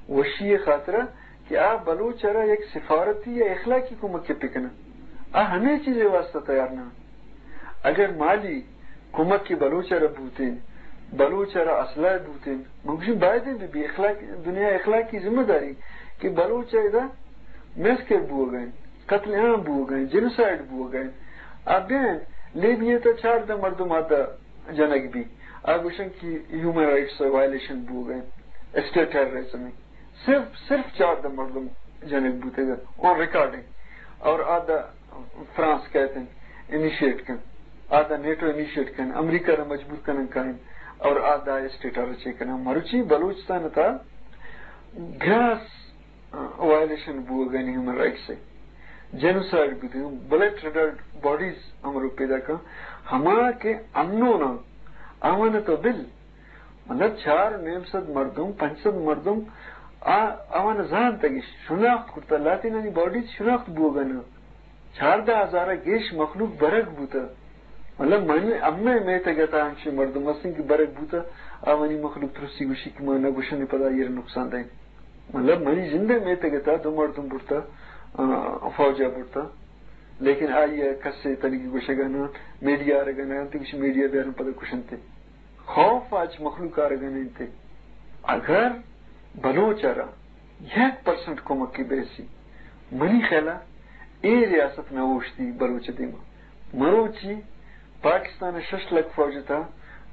وشی ءِ خاطر ءَ کہ آ بلوچ ءَ را یک سفارتی یا اخلاقی کمک ءَ بکناں۔ آ ہمے چیز ءِ واستہ تیار نہ انت۔ اگر مالی کمک کہ بلوچ ءَ را بوتیں، بلوچ ءَ را اسلحہ بوتیں، من گوشیں بایدیں بہ بی اخلاق، دنیا اخلاقی ذمہ داری کہ بلوچ ءَ ادا میسکر بوگ ءَ انت، قتل عام بوگ ءَ انت، جینوسائیڈ بوگ ءَ انت۔ آ بین لیبیا تہ چاردہ مردم آتا جنگ بی۔ آ گوشن کہ ہیومن رائٹس وائلیشن بوگ ءَ انت، اسٹیٹ ٹیررزم انت۔ صرف، صرف چاردہ مردم جنگ بوتگ آن ریکارڈنگ۔ اور آ دا فرانس کہتے ہیں انیشیٹ کن، آ دا نیٹو انیشیٹ کن، امریکہ را مجبور کنن کائن، اور آ دا اسٹیٹ آ رچے کنن۔ مروچی بلوچستان تا گراس وائلیشن بوگ ءَ انت ہیومن رائٹس ءِ، جینوسائیڈ بوتگ، بلیٹ ریڈ باڈیز ہمرو پیدا کن، ہما کہ انون انت، آوان تو بل، مطلب، چار و نیم سد مردم، پنچ سد مردم، آ، آوان زانتگ، شناخت کرتا، لاتینانی باڈیز شناخت بوگ ءَ نہ۔ چاردہ ہزار ءَ گیش مخلوق برگ بوتا۔ مطلب، من، امے میتگ ءِ تہا انچیں مردم ہستیں کہ برگ بوتا، آوانی مخلوق ترسی گوشی کہ ما نہ گوشن پدا ایر نقصان دیں۔ مطلب، منی جند ءِ میتگ ءِ تہا دو مردم برتا، آ، فوج ءَ برتا، لیکن آئی ءَ کسے تنیگی گوشگ ءَ نہ، میڈیا آرگ ءَ نہ انت، گوشی میڈیا بیارن پدا کشنتے۔ خوف اچ مخلوق آرگ ءَ نہ انت۔ اگر بلوچ ءَ را یک پرسنٹ کمک بیسی، منی خیال ءَ اے ریاست نہ اوشتی بلوچ ءِ دیما۔ مروچی پاکستان ءِ شش لکھ فوج ءِ تہا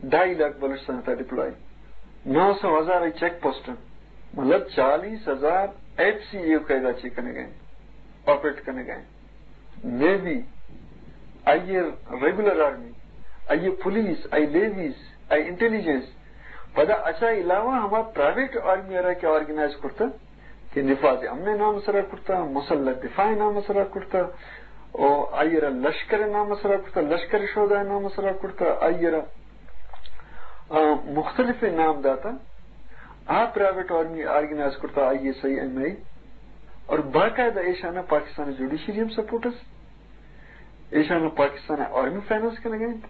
ڈھائی لاکھ بلوچستان ءِ تہا ڈپلوائے، نو سو ہزار ءِ چیک پوسٹ انت، مطلب چالیس ہزار ایف سی اے قاعدہ چے کنگ ءَ انت، آپریٹ کنگ ءَ انت۔ نیوی، آئی ءِ ریگولر آرمی، آئی ءِ پولیس، آئی ءِ لیویز، آئی ءِ انٹیلیجنس، پدا اچا علاوہ ہما پرائیویٹ آرمی ءَ را کہ آرگنائز کرتا، کہ نفاذ امن ءِ نام ءِ سرا کرتا، مسلح دفاع ءِ نام ءِ سرا کرتا، او آئی ءَ را لشکر ءِ نام ءِ سرا کرتا، لشکر شہدا ءِ نام ءِ سرا کرتا، آئی ءَ را، آ، مختلف نام داتا۔ آ پرائیویٹ آرمی آرگنائز کرتا، آئی ایس آئی، ایم آئی، اور باقاعدہ ایشانا پاکستان جوڈیشری ہم سپورٹ است۔ ایشانا پاکستان آرمی فائنانس کنگا انت،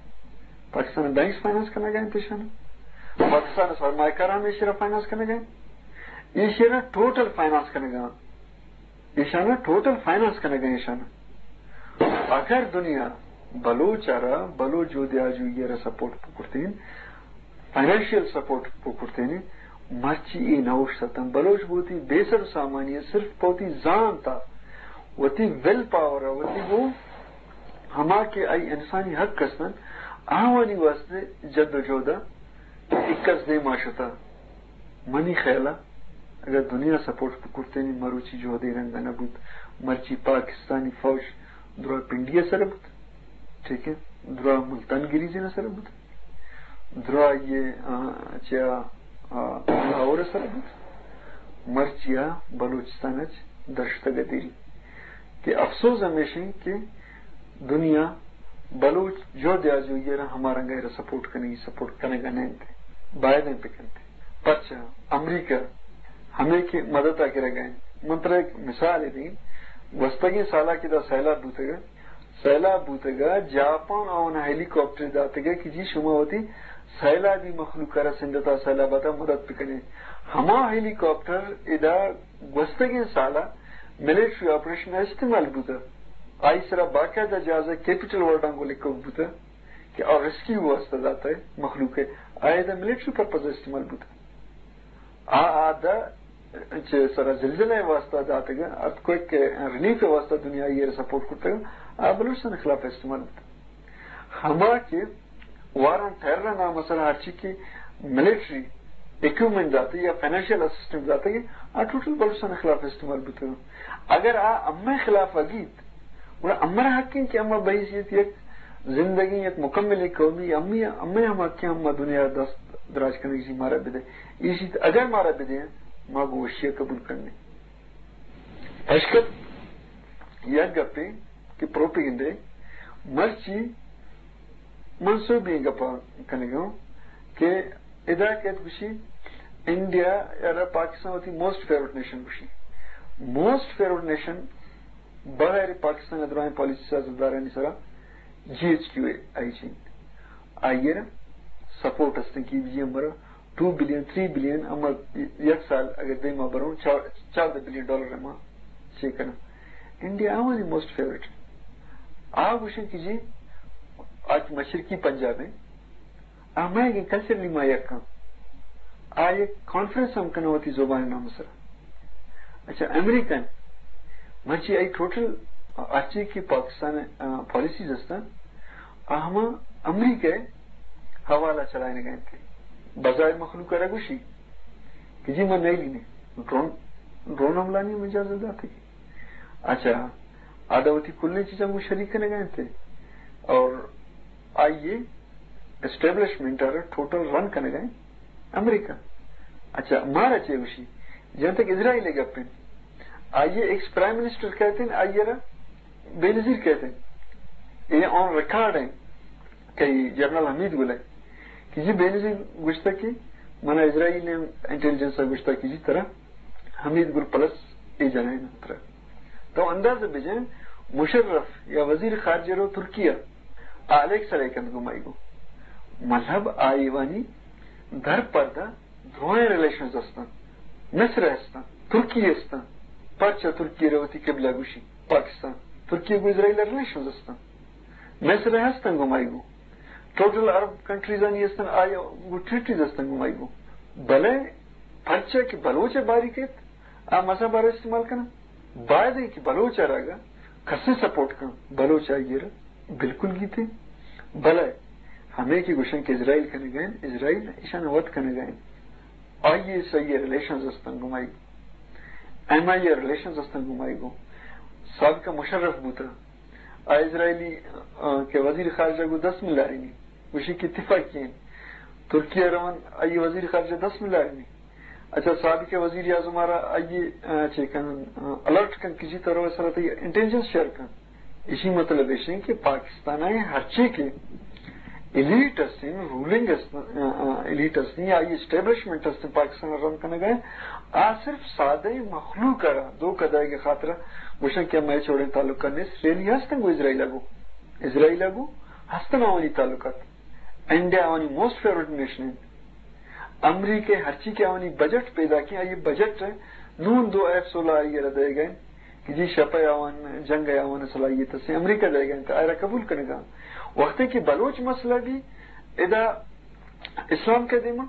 پاکستان بینکس فائنانس کنگا انت، ایشانا پاکستان سرمایہ کاران ایشرا فائنانس کنگا انت، ایشرا ٹوٹل فائنانس کنگا، ایشانا ٹوٹل فائنانس کنگا، ایشانا۔ اگر دنیا بلوچ ءَ را، بلوچ جہد آجوئی ءَ را سپورٹ بکرتین، فائنانشل سپورٹ بکرتین، مرچی اے نہ اوشتاتاں۔ بلوچ بوتی بے سر و سامانی ءَ صرف پہ وتی زانت ءَ، وتی ول پاور ءَ، وتی گوں ہما کہ آئی انسانی حق ہستن، آوانی واسطے جد و جہد ءَ اکس دیما شتا۔ منی خیال ءَ اگر دنیا سپورٹ بکرتین، مروچی جہد اے رنگ ءَ نہ بوت، مرچی پاکستانی فوج درا پنڈی ءِ سر بوت۔ ٹھیک ہے، درا ملتان گریزین ءِ سر بوت، درا یہ، آ، چیا، آ، لاہور ءِ سر بوت، مرچیا بلوچستان اچ درشتگ ءَ دیری۔ کہ افسوز ہمیش انت کہ دنیا بلوچ جہد آجوئی ءَ را ہما رنگ ءَ را سپورٹ کنگی، سپورٹ کنگ ءَ نہ انت، باید انت بکنت۔ پرچا امریکہ ہمے کہ مدد ءَ گرگ ءَ انت۔ من ترا یک مثال دیں، گوستگیں سال ءَ کہ دا سیلاب بوتگ، سیلاب بوتگ ءَ جاپان آوان ءَ ہیلی کاپٹر داتگ ءَ کہ جی شما وتی سیلابی مخلوق ءَ را سندھ ءَ سیلاب ءَ مدد بکنے۔ ہما ہیلی کاپٹر ادا گوستگیں سال ءَ ملٹری آپریشن ءَ استعمال بوتگ۔ آئی سرا باقاعدہ جہاز ءِ کیپٹل ورڈاں گوں لکھوک بوتگ کہ آ ریسکیو واسطہ داتگ مخلوق ءَ۔ آ ادا ملٹری پرپز ءَ استعمال بوتگ۔ آ، آ دہ چہ سرا زلزلہ ءِ واسطہ داتگ، ارتھ کوئک ریلیف ءِ واسطہ دنیا آئی ءَ را سپورٹ کرتگ، آ بلوچستان ءِ خلاف استعمال بوتگ۔ ہما کہ وار آن ٹیرر ءِ نام ءَ سرا ہرچی کہ ملٹری اکوپمنٹ داتگ یا فنانشل اسسٹنس داتگ، آ ٹوٹل بلوچستان ءِ خلاف استعمال بوتگ۔ اگر آ امئے خلاف ءَ گیت، گڑا امرا حق انت کہ اما بحیثیت یک زندگیں، یک مکملیں قومی، امی، امے ہم حق انت، اما دنیا ءَ دست دراج کنگ ءَ مارا بدے۔ ایشی ءَ اگر مارا بدے، ما گوں وشی ءَ قبول کنیں۔ پشکپ یک گپے کہ پروپیگنڈے، مرچی منسوبی گپا کنگا کہ ادا کیت گوشی انڈیا ءَ را پاکستان وتی موسٹ فیورٹ نیشن گوشی۔ موسٹ فیورٹ نیشن بغیر پاکستان ءِ درائیں پالیسی سیاستدارانی سرا جی ایچ کیو اے آئی چین۔ آئی ءَ را سپورٹ استیں کہ بی جی ایم برا ٹو بلین، تھری بلین، اما یک سال اگر دیما بروں، چار، چاردہ بلین ڈالر اما چے کناں۔ انڈیا آوانی موسٹ فیورٹ۔ آ گوشن کہ جی آج مشرقی پنجاب ہیں، آ مئیگیں کلچرلی ما یک کن۔ آ یک کانفرنس ہم کناں وتی زبان نام سرا۔ اچھا، امریکن، مرچی آئی ٹوٹل ہرچی کہ پاکستان، آ، پالیسیز ہستن، آ ہما امریکہ حوالہ چلائنگ انت۔ بظاہر مخلوق ءَ را گوشی کہ جی من نیلی نے ڈرون، ڈرون حملہ نہیں اجازت داتے۔ اچھا، آ دا وتی کلیں چیزاں گوں شریک کنگ ءَ انت اور آئی ءِ اسٹیبلشمنٹ ءَ را ٹوٹل رن کنگ ءَ انت امریکہ۔ اچھا، مارا چے گوشی؟ جہاں تک اسرائیل ءِ گپ انت، آئی ءِ ایکس پرائم منسٹر کہتے ہیں، آئی ءَ را بے نظیر کہتے ہیں۔ یہ آن ریکارڈ ہیں کہ جنرل حمید گل ہے کہ جی بے نظیر گوشتا کہ منا اسرائیل ءِ انٹیلیجنس ءَ گوشتا کہ جی ترا حمید گل پلس اے جنائن ترا۔ تو اندازہ بجن، مشرف یا وزیر خارجہ رو ترکیہ، آ الیکس علیکند گوں مائی گوں۔ مطلب آئی وانی در پردہ درائیں ریلیشنز ہستن۔ مصر ہستن، ترکیہ ہستن۔ پرچا ترکیہ رو وتی قبلہ گوشی پاکستان؟ ترکیہ گوں اسرائیل ریلیشنز ہستن۔ مصر ہستن گوں مائی گوں۔ ٹوٹل عرب کنٹریز آنی ہستن، آئی گوں ٹریٹیز ہستن گوں مائی گوں۔ بلے پرچا کہ بلوچ ءَ باری کیت، آ مذہب ءَ را استعمال کناں۔ باید انت کہ بلوچ ءَ را اگاں کسے سپورٹ کن، بلوچ آئی ءَ را بالکل گیتے۔ بلے ہمے کہ گوشن کہ اسرائیل کنگ ءَ انت، اسرائیل ایشان وت کنگ ءَ انت۔ آئی ایس آئی ءِ ریلیشنز ہستن گوں مائی، ایم آئی ءِ ریلیشنز ہستن گوں مائی گوں۔ سابقہ مشرف بوتا، آ اسرائیلی، آ، کہ وزیر خارجہ گوں دست ملارینی، گوشی کہ اتفاقی انت۔ ترکیہ روان، آئی وزیر خارجہ دست ملارینی۔ اچھا، سابق وزیر اعظم ءَ را آئی، آ، چے کن، آ، الرٹ کن کہ جی ترا سرا تئی انٹیلیجنس شیئر کن۔ اسی مطلب ایش انت کہ پاکستان ءِ ہرچی کہ ایلیٹ ہستیں، رولنگ ہستیں، آ، آ، ایلیٹ ہستیں یا آئی اسٹیبلشمنٹ ہستیں پاکستان ءَ رن کنگ ءَ، آ صرف سادہ مخلوق ءَ را دھوکہ دئیگ ءِ خاطر گوشن کہ مئے چوڑیں تعلقات نیست۔ ریلی ہستن گوں اسرائیل ءَ گوں، اسرائیل ءَ گوں ہستن آوانی تعلقات۔ انڈیا آوانی موسٹ فیورٹ نیشن انت۔ امریکہ ہرچی کہ آوانی بجٹ پیدا کیں، آئی بجٹ نون دو ایف سولہ آئی ءَ را دئیگ ءَ انت کہ جی شپ ءَ آوان، جنگ ءَ آوان صلاحیت ہستیں، امریکہ دئیگ ءَ انت، آئی ءَ را قبول کنگ ءَ انت۔ وقتے کہ بلوچ مسئلہ بی ادا اسلام کے دیما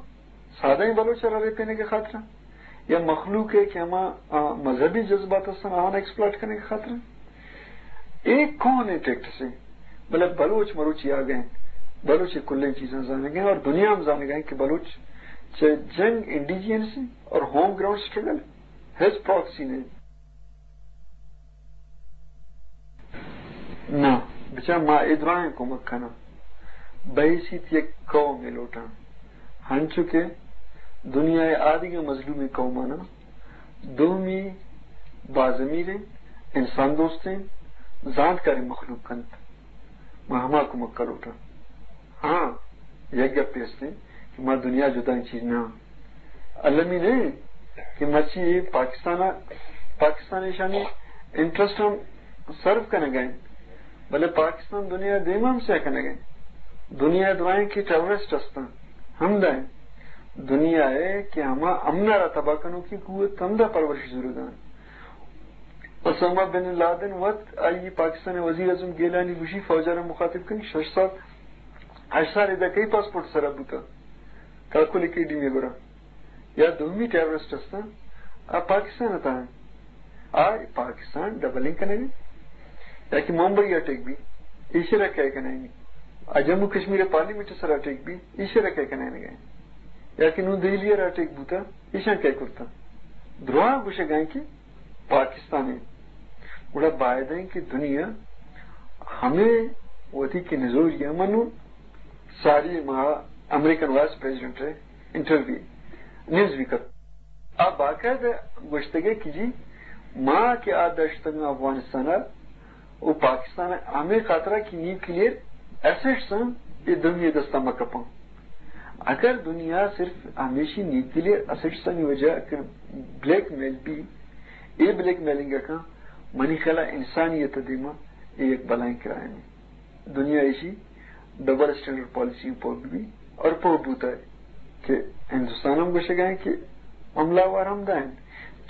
سادہ بلوچ ءَ را ریپینگ ءِ خاطر یا مخلوق ءِ کہ ہما، آ، مذہبی جذبات ہستن، آوان ایکسپلائٹ کنگ ءِ خاطر۔ اے کون اے ٹیکٹس ایں؟ بلے بلوچ مروچی آگہ انت، بلوچ اے کلیں چیزاں زانگ ءَ انت اور دنیا ہم زانگ ءَ انت کہ بلوچ چہ جنگ انڈیجینس اور ہوم گراؤنڈ سٹرگل ہچ پراکسی نہ انت۔ نہ، بچار ما اے دراہیں کمک کناں۔ بحیثیت یک قومے لوٹاں۔ ہنچو کہ دنیا ءِ آدگہ مظلومیں قوماناں دومی بازمیر انت، انسان دوست انت، زانتکاریں مخلوق انت۔ ما ہما کمک ءَ لوٹاں۔ ہاں، یک گپے است انت کہ ما دنیا ءِ جدائیں چیز نہ آں۔ المی نہ انت کہ مرچی اے پاکستان ءَ، پاکستان ایشانی انٹرسٹ ہم سرو کنگ ءَ انت، بلے پاکستان دنیا ءِ دیم ءَ ہم سیاہ کنگ ءَ انت۔ دنیا ءِ درائیں کہ ٹیررسٹ ہستاں، ہمدا انت۔ دنیا ءِ کہ ہما امن ءَ را تباہ کنوکیں قوت، ہمدا پرورش زورگ ءَ انت۔ اسامہ بن لادن وت، آئی پاکستان ءِ وزیر اعظم گیلانی گوشی، فوج ءَ را مخاطب کنی، شش سال، ہشت سال ادا کئی پاسپورٹ ءِ سرا بوتا، کاکل اکیڈمی ءِ گورا۔ یا دومی ٹیررسٹ ہستاں، آ پاکستان ءِ تہا انت۔ آ پاکستان ڈبلنگ کنگ ءَ انت۔ یا کہ ممبئی ءَ اٹیک بی، ایشی ءَ را کئے کنائینی؟ آ جموں کشمیر ءِ پارلیمنٹ ءِ سرا اٹیک بی، ایشی ءَ را کئے کنائینگ ءَ انت؟ یا کہ نوں دہلی ءَ را اٹیک بوتا، ایشاں کئے کرتا؟ دراہ گوشگ ءَ انت کہ پاکستان انت۔ گڑا باید انت کہ دنیا ہمے وتی کہ نزوری ءَ، من نوں ساری ماہ امریکن وائس پریزیڈنٹ ءِ انٹرویو، نیوز ویک ءَ، آ باقاعدہ گوشتگ ءَ کہ جی، ما کہ آ داشتگ افغانستان ءَ، و پاکستان ءَ ہمے خاطرا کہ نیوکلیئر ایسٹس انت، اے دنیا دستا مہ کپاں۔ اگر دنیا صرف ہمیشی نیوکلیئر ایسٹسانی وجہ کہ بلیک میل بی، اے بلیک میلنگ ءَ کن، منی خیالا انسانیت ءِ دیما اے یک بلائیں کرائمے۔ دنیا ایشی ڈبل اسٹینڈرڈ پالیسی پوہ بی اور پوہ بوتا ہے کہ ہندوستان ہم گوشگ ءَ انت کہ حملہ آور ہمدا انت۔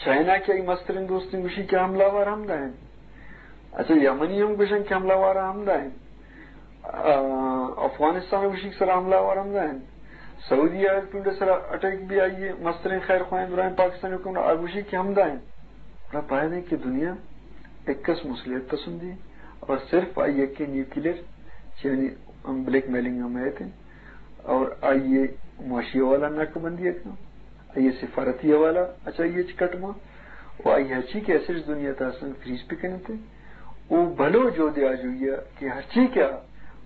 چائنا کہ آئی مسترین دوستیں گوشی کہ حملہ آور ہمدا انت۔ اچھا، یمنی ہم گوشن کہ حملہ آوار ہمدا انت۔ آ، افغانستان گوشی کہ سرا حملہ آوار ہمدا انت۔ سعودی عرب ٹوڈے سرا اٹیک بی، آئی مسترین خیر خواہیں درائیں پاکستانی حکمران آ گوشی کہ ہمدا انت۔ گڑا باید انت کہ دنیا اکس مصلحت پسندی اور صرف آئی یکیں نیوکلیئر چہ یعنی بلیک میلنگ ہم ایت انت اور آئی معاشی حوالہ ناکہ بندی ءَ کن، آئی سفارتی حوالہ اچ آئی چہ کٹ مان، و آئی ہرچی کہ ایسٹس دنیا تہا ہستن فریز بکننت، و بلوچ جہد آجوئی ءَ کہ ہرچی کہ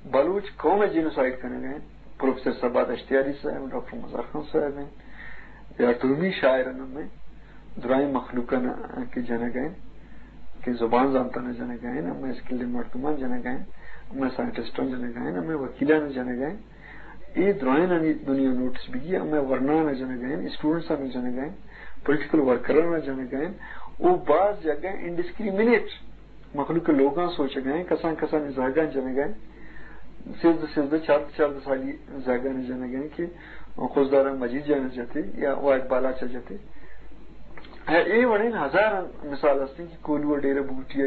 بلوچ قوم ءِ جینوسائیڈ کنگ ءَ انت، پروفیسر صبا دشتیاری صاحب، ڈاکٹر مزار خان صاحب انت، یا دومی شاعران ہم انت، درائیں مخلوقاں کہ جنگ ءَ انت، کہ زبان زانتاں جنگ ءَ انت، ہمے اسکلڈ مردماں جنگ ءَ انت، ہمے سائنٹسٹاں جنگ ءَ انت، ہمے وکیلاں جنگ ءَ انت۔ اے درائینانی دنیا نوٹس بگی، ہمے ورناں جنگ ءَ انت، اسٹوڈنٹساں جنگ ءَ انت، پولیٹیکل ورکراں جنگ ءَ انت، او باز جاگہ انڈسکریمنیٹ مخلوق ءِ لوگاں سوچگ ءَ انت، کسان کسانی زہگاں جنگ ءَ انت، سیزدہ سیزدہ، چاردہ چاردہ سالی زہگانی جنگ ءَ انت کہ خضدار ءَ مجید جان ءَ جتے یا واحد بالاچ ءَ جتے۔ اے وڑیں ہزاراں مثال ہستیں کہ کوہلو ءِ ڈیرہ بگٹی ءَ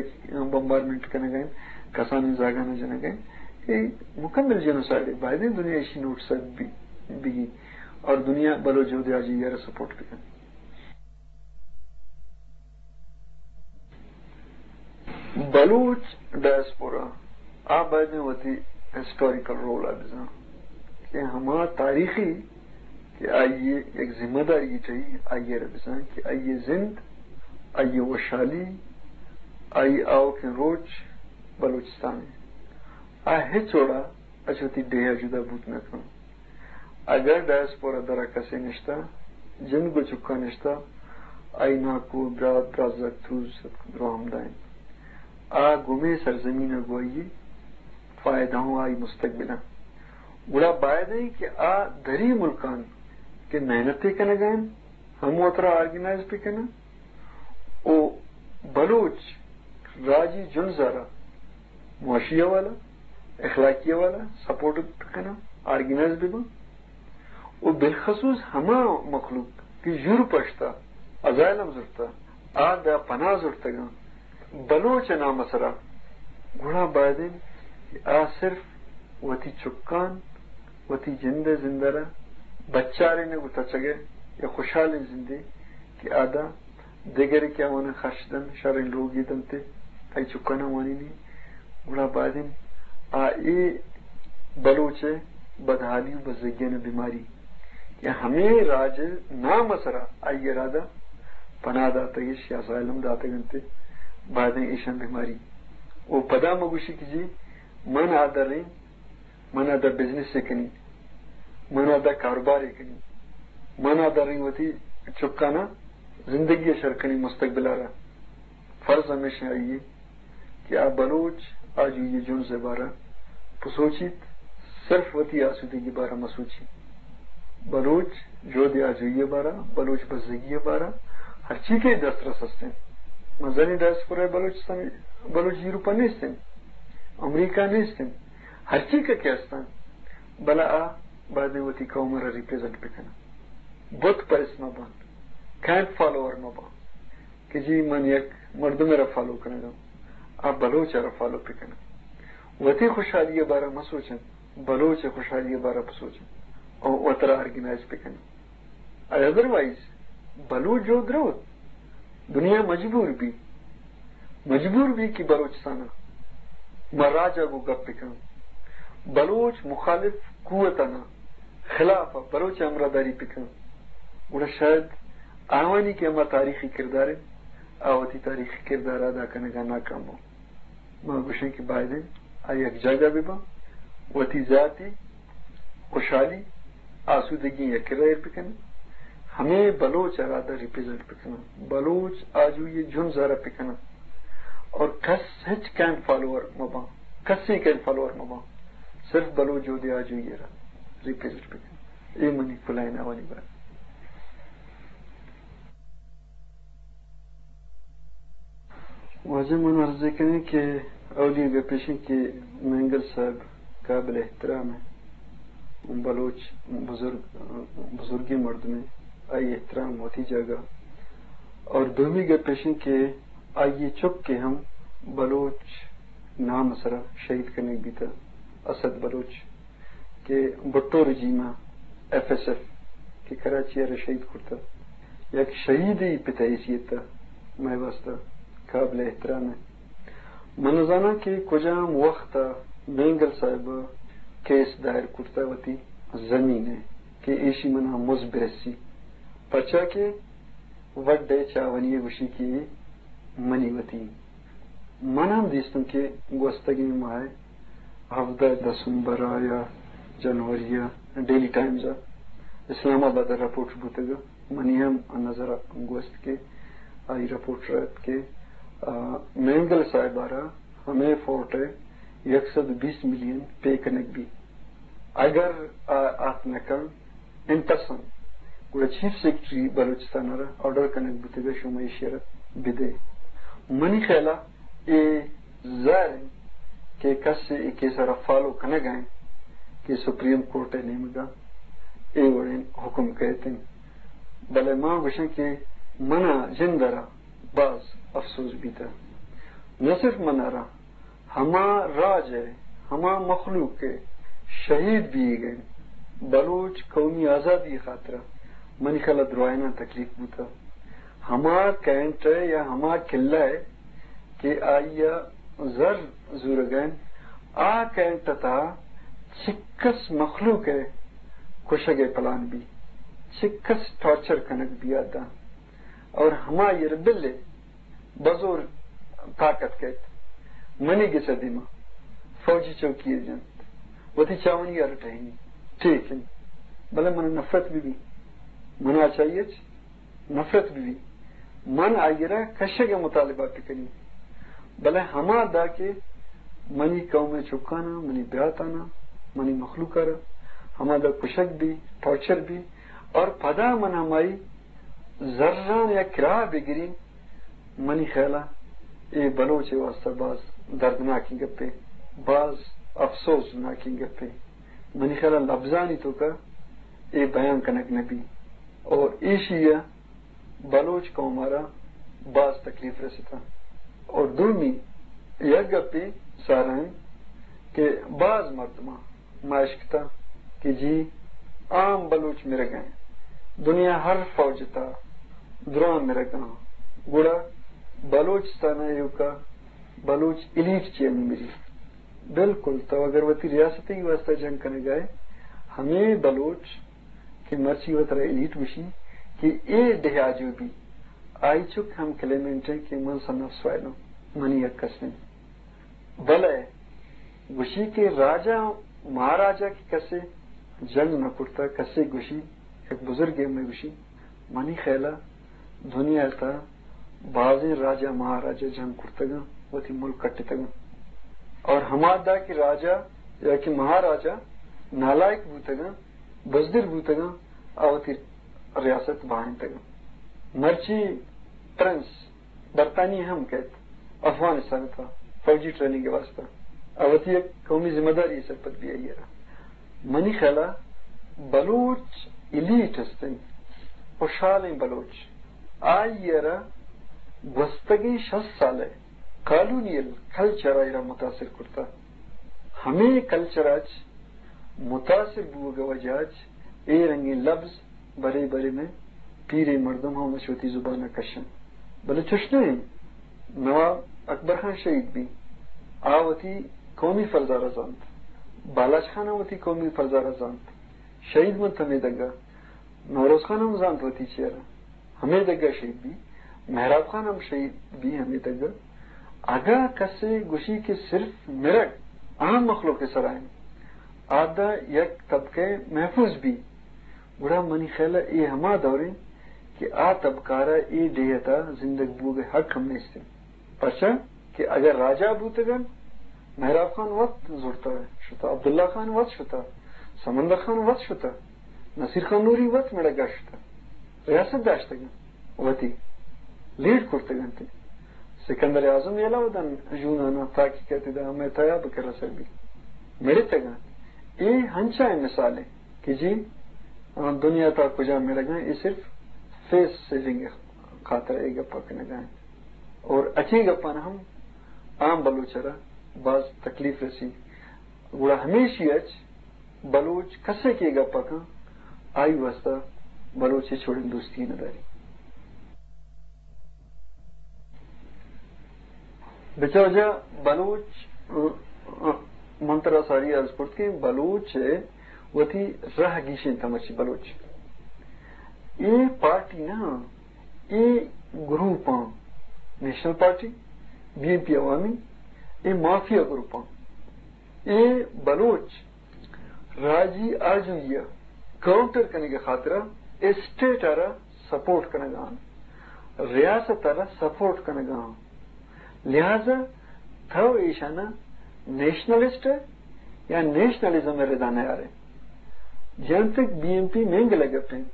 بمبارمنٹ کنگ ءَ انت، کسانیں زہگاں جنگ ءَ انت۔ اے مکمل جینوسائیڈ ءِ، باید انت دنیا ایشی نوٹس ءَ بی-، بگی اور دنیا بلوچ جہد آجوئی ءَ را سپورٹ بکن۔ بلوچ ڈائسپورا آ باید انت وتی ہسٹوریکل رول ءَ بزان کہ ہما تاریخی کہ آئی ءِ یک ذمہ داری ٹہی، آئی ءَ را بزان کہ آئی ءِ زند، آئی ءِ وشحالی، آئی ءِ آؤکیں روچ بلوچستان ءَ آ ہچ وڑا اچ وتی ڈیہہ ءَ جدا بوت نہ کن۔ اگاں ڈائسپورا درا کسے نشتہ، جند گوں چکاں نشتہ، آئی ناکو، برات، برازتک، تروس، درو ہمدا انت۔ آ گوں ہمے سرزمین ءَ گوں آئی ءِ فائدہ ہوں آئی مستقبل ءَ۔ گڑا باید انت کہ آ دری ملکاں کہ محنت ءَ کنگ ءَ انت، ہم وترا آرگنائز بہ کناں و بلوچ راجی جنز ءَ را معاشی حوالہ، اخلاقی حوالہ سپورٹ بہ کناں، آرگنائز بہ باں و بالخصوص ہما مخلوق کہ یورپ ءَ شتہ، ازائلم زرتہ، آ داں پناہ زرتگاں بلوچ ءِ نام ءِ سرا، گڑا باید انت کہ آ صرف وتی چکاں، وتی جند ءِ زند ءَ را بچارینگ و تچگ ءَ یا خوشحالیں زندے کہ آ داں دگرے کہ آواناں خرچ دنت، شریں لوگے دنت، آئی چکاناں وانینی، گڑا باید انت آ اے بلوچ ءِ بدحالی و بزگیانی بیماری کہ ہمے راج ءِ نام ءِ سرا آئی ءَ را داں پناہ داتگ اش یا اسائلم داتگ انت، باید انت ایشاں بیماری۔ و پدا مہ گوشی کہ جی من آ دریں، من ادا بزنس ءَ کنی، من ادا کاروبار ءَ کنی، من ادا رنگ وتی چکاناں زندگی ءَ شر کنی مستقبل ءَ را۔ فرض ہمیش آئی کہ آ بلوچ آجوئی جنز بارہ بسوچیت، صرف وتی آسودگی بارہ مسوچیت۔ بلوچ جہد آجوئی بارہ، بلوچ بزگی بارہ، ہرچی کہ دسترس ہستیں۔ مزنی ڈائسپورا بلوچستان، بلوچ یورپا نیستیں، امریکہ نیستیں، ہرچی کہ کہ ہستیں، بلے آ باید وتی قوم را ریپریزنٹ بکنن۔ بت پرست مبان، کینٹ فالوور مبان کہ جی من یک مردم را فالو کنگا، آ بلوچ را فالو بکنن۔ وتی خوشحالی بارہ مسوچن، بلوچ خوشحالی بارہ بسوچن، او وترا آرگنائز بکنن۔ ادروائز بلوچ جو دروت، دنیا مجبور بی، مجبور بی کہ بلوچستان ما راجا گو گپ بکن۔ بلوچ مخالف قوتانا خلاف بلوچ ہمراہ داری بکن۔ گڑا شاید آوانی کہ ہما تاریخی کردار انت، آ وتی تاریخی کردار ادا کنگا ناکام بو۔ ما گوشیں کہ باید انت آ یک جاگہ بباں، وتی ذاتی خوشحالی، آسودگی یک کرا ایر بکنن، ہمے بلوچ ارادہ ریپریزنٹ بکنن، بلوچ آجوئی جنز ارا بکنن، اور کس ہچ کین فالوور مباں، کسی کین فالوور مباں، صرف بلوچ جہد آجوئی ارا ریپریزنٹ بکنن۔ اے منی کلائن آوانی بات۔ واجہ من عرض کنیں کہ اولی گپ ایش انت کہ مینگل صاحب قابل احترام ہے، بلوچ بزرگ، بزرگیں مردم ہے، آئی احترام وتی جاگہ۔ اور دومی گپ ایش انت کہ آئی چک کہ ہم بلوچ نام سرا شہید کنگ بیتا، اسد بلوچ کہ بھٹو رجیم ء ایف ایس ایف کہ کراچی ء را شہید کرتا، یک شہید ء پت ء حیثیت ء مئے واستہ قابل احترام ء۔ من نزاناں کہ کجام وخت ء مینگل صاحب ء کیس دائر کرتا وتی زمین ء کہ ایشی منا مز برسی، پرچا کہ وڈ ء چاونی ء گوشی کہ اے منی وتی۔ من ہم دیستم کہ گوستگیں ماہ ء ہفدہ دسمبر ء یا جنوری ء ڈیلی ٹائمز ء اسلام آباد ء رپورٹ بوتگ ء منی ہم نظر ء گوست کہ آئی رپورٹ رہت کہ، آ، مینگل صاحب ء را ہمے فورٹ ء یک سد بیست ملین پے کنگ بی۔ اگر آ آت نہ کن، ان پرسن، گڑا چیف سیکرٹری بلوچستان ء را آرڈر کنگ بوتگ ء شما ایشی ء را بدے۔ منی خیال ء اے ظاہر انت کہ کس اے کیس ء را فالو کنگ ء انت کہ سپریم کورٹ ء نیمگ ء اے وڑیں حکم کئیت انت۔ بلے ما گوشاں کہ منا جند ء را باز افسوس بیتہ۔ نہ صرف منا را، ہما راج ء ہما مخلوق ء شہید بیگ ء بلوچ قومی آزادی خاطر منی خیال ء درائیناں تکلیف بوتہ۔ ہما کینٹ ء یا ہما قلعہ ء کہ آئی ء زر زورگ ء انت، آ کینٹ ء تہا چکس مخلوق ء کشگ ء پلان بی، چکس ٹارچر کنگ بی آداں، اور ہما ایر بلے بزور طاقت کئیت۔ منی گس ء دیما فوجی چوکی ء جنت، وتی چاونی ء رٹہینی، ٹھیک انت، بلے من نفرت بہ بی، منا چاہیے نفرت بہ بی، من آئی ء را کشگ ء مطالبہ بکنی، بلے ہما دا کہ منی قوم ء چکاناں، منی براتاناں، منی مخلوق ء را ہما دا کشگ بی، ٹارچر بی، اور پدا من ہمائی زران یا کرا بگرین، منی خیال ء اے بلوچ ء واستہ باز دردناکیں گپے، باز افسوسناکیں گپے۔ منی خیال ء لبزانی توکا اے بیان کنگ نہ بی۔ اور ایشی ء بلوچ قوم ء را باز تکلیف رسیتہ۔ اور دومی یک گپے سارا انت کہ باز مردماں ما اشکتہ کہ جی عام بلوچ مرگ ء انت، دنیا ہر فوج ء تہا دراہ مرگ ء انت، گڑا بلوچستان ء ایوکا بلوچ ایلیٹ چی ء مری؟ بالکل، تو اگر وتی ریاست ء واسطہ جنگ کنگ ء ئے، ہمے بلوچ کہ مرچی وترا ایلیٹ گوشی کہ اے ڈیہہ آجو بی، آئی چک ہم کلیمنٹ انت کہ من سن آف سوائل آں، منی حق است انت۔ بلے گوشی کہ راجا، مہاراجا کہ کسے جنگ نہ کرتا، کسے گوشی، یک بزرگے ہمے گوشی، منی خیالا دنیا تا بازیں راجہ مہاراجہ جنگ کرتگاں، وتی ملک کٹتگاں۔ اور ہما دا کہ راجہ یا کہ مہاراجہ نالائق بوتگاں، بزدل بوتگاں، آ وتی ریاست بہائینتگاں۔ مرچی پرنس برطانیہ ہم کئیت افغانستان ء تھا فوجی ٹریننگ ء واستہ، آ وتی یک قومی ذمہ داری ء سرپد بی آئی ء را۔ منی خیال ء بلوچ ایلیٹ ہست انت، خوشحالیں بلوچ، آئی ء را گوستگیں شست سال ء کالونیل کلچر ء را متاثر کرتہ۔ ہمے کلچر ء چ متاثر بوگ ء وجہ ء چ اے رنگیں لبز برے برے مئے پیریں مردم ہم اچ وتی زبان ء کش انت۔ بلے چش نہ انت۔ نواب اکبر خان شہید بی، آ وتی قومی فرض ء را زانت۔ بالاچ خان ہم وتی قومی فرض ء را زانت۔ شہید منت ہمے دگہ۔ نوروز خان ہم زانت وتی چیئر ء۔ ہمے دگہ شہید بی۔ مہراب خان ہم شہید بی ہمے دگہ۔ اگاں کسے گوشی کہ صرف مرگ عام مخلوق ء سرا انت، آ داں یک طبقہ محفوظ بی، گڑا منی خیال ء اے ہما دور انت کہ آ طبقہ را اے ڈیھ ء تھا زندگ بوگ ء حق ہم نیست انت۔ پرچا کہ اگر راجہ بوتگن، مہراب خان وت زرتہ شتہ، عبداللہ خان وت شتہ، سمندر خان وت شتہ، نصیر خان نوری وت مڑگا شتہ، ریاست داشتگن، وتی لیڈ کرتگنت۔ سکندر اعظم یلہ ودن یونانا تاکہ کہتے دا ہمیں تیا بکر اثر بی۔ مڑتگن۔ اے ہنچائیں مثال ہے کہ جی، آ، دنیا تا کجا مڑگاں، اے صرف فیس سیونگ خاطر اے گپا کنگا ہیں۔ اور اچیں گپان ہم عام بلوچ را باز تکلیف رسی۔ گڑا ہمیشی اچ بلوچ کسے کہ گپا کن، آئی واسطہ بلوچ ہچ وڑیں دوستی نہ داری۔ بچار جا بلوچ، ا، ا، من ترا ساری عرض کرت کہ بلوچ وتی رہ گیشیں تمچی بلوچ۔ اے پارٹی نہ، اے گروپاں، نیشنل پارٹی، بی این پی عوامی، اے مافیا گروپاں۔ اے بلوچ راجی آجوئی ء کاؤنٹر کنگ ء خاطر ء اسٹیٹ ء را سپورٹ کنگ ء آں، ریاست ء را سپورٹ کنگ ء آں۔ لہذا تو ایشان ء نیشنلسٹ ء یا نیشنلزم ء ردا نیارے۔ جنتک بی این پی مینگل ء گپ انت،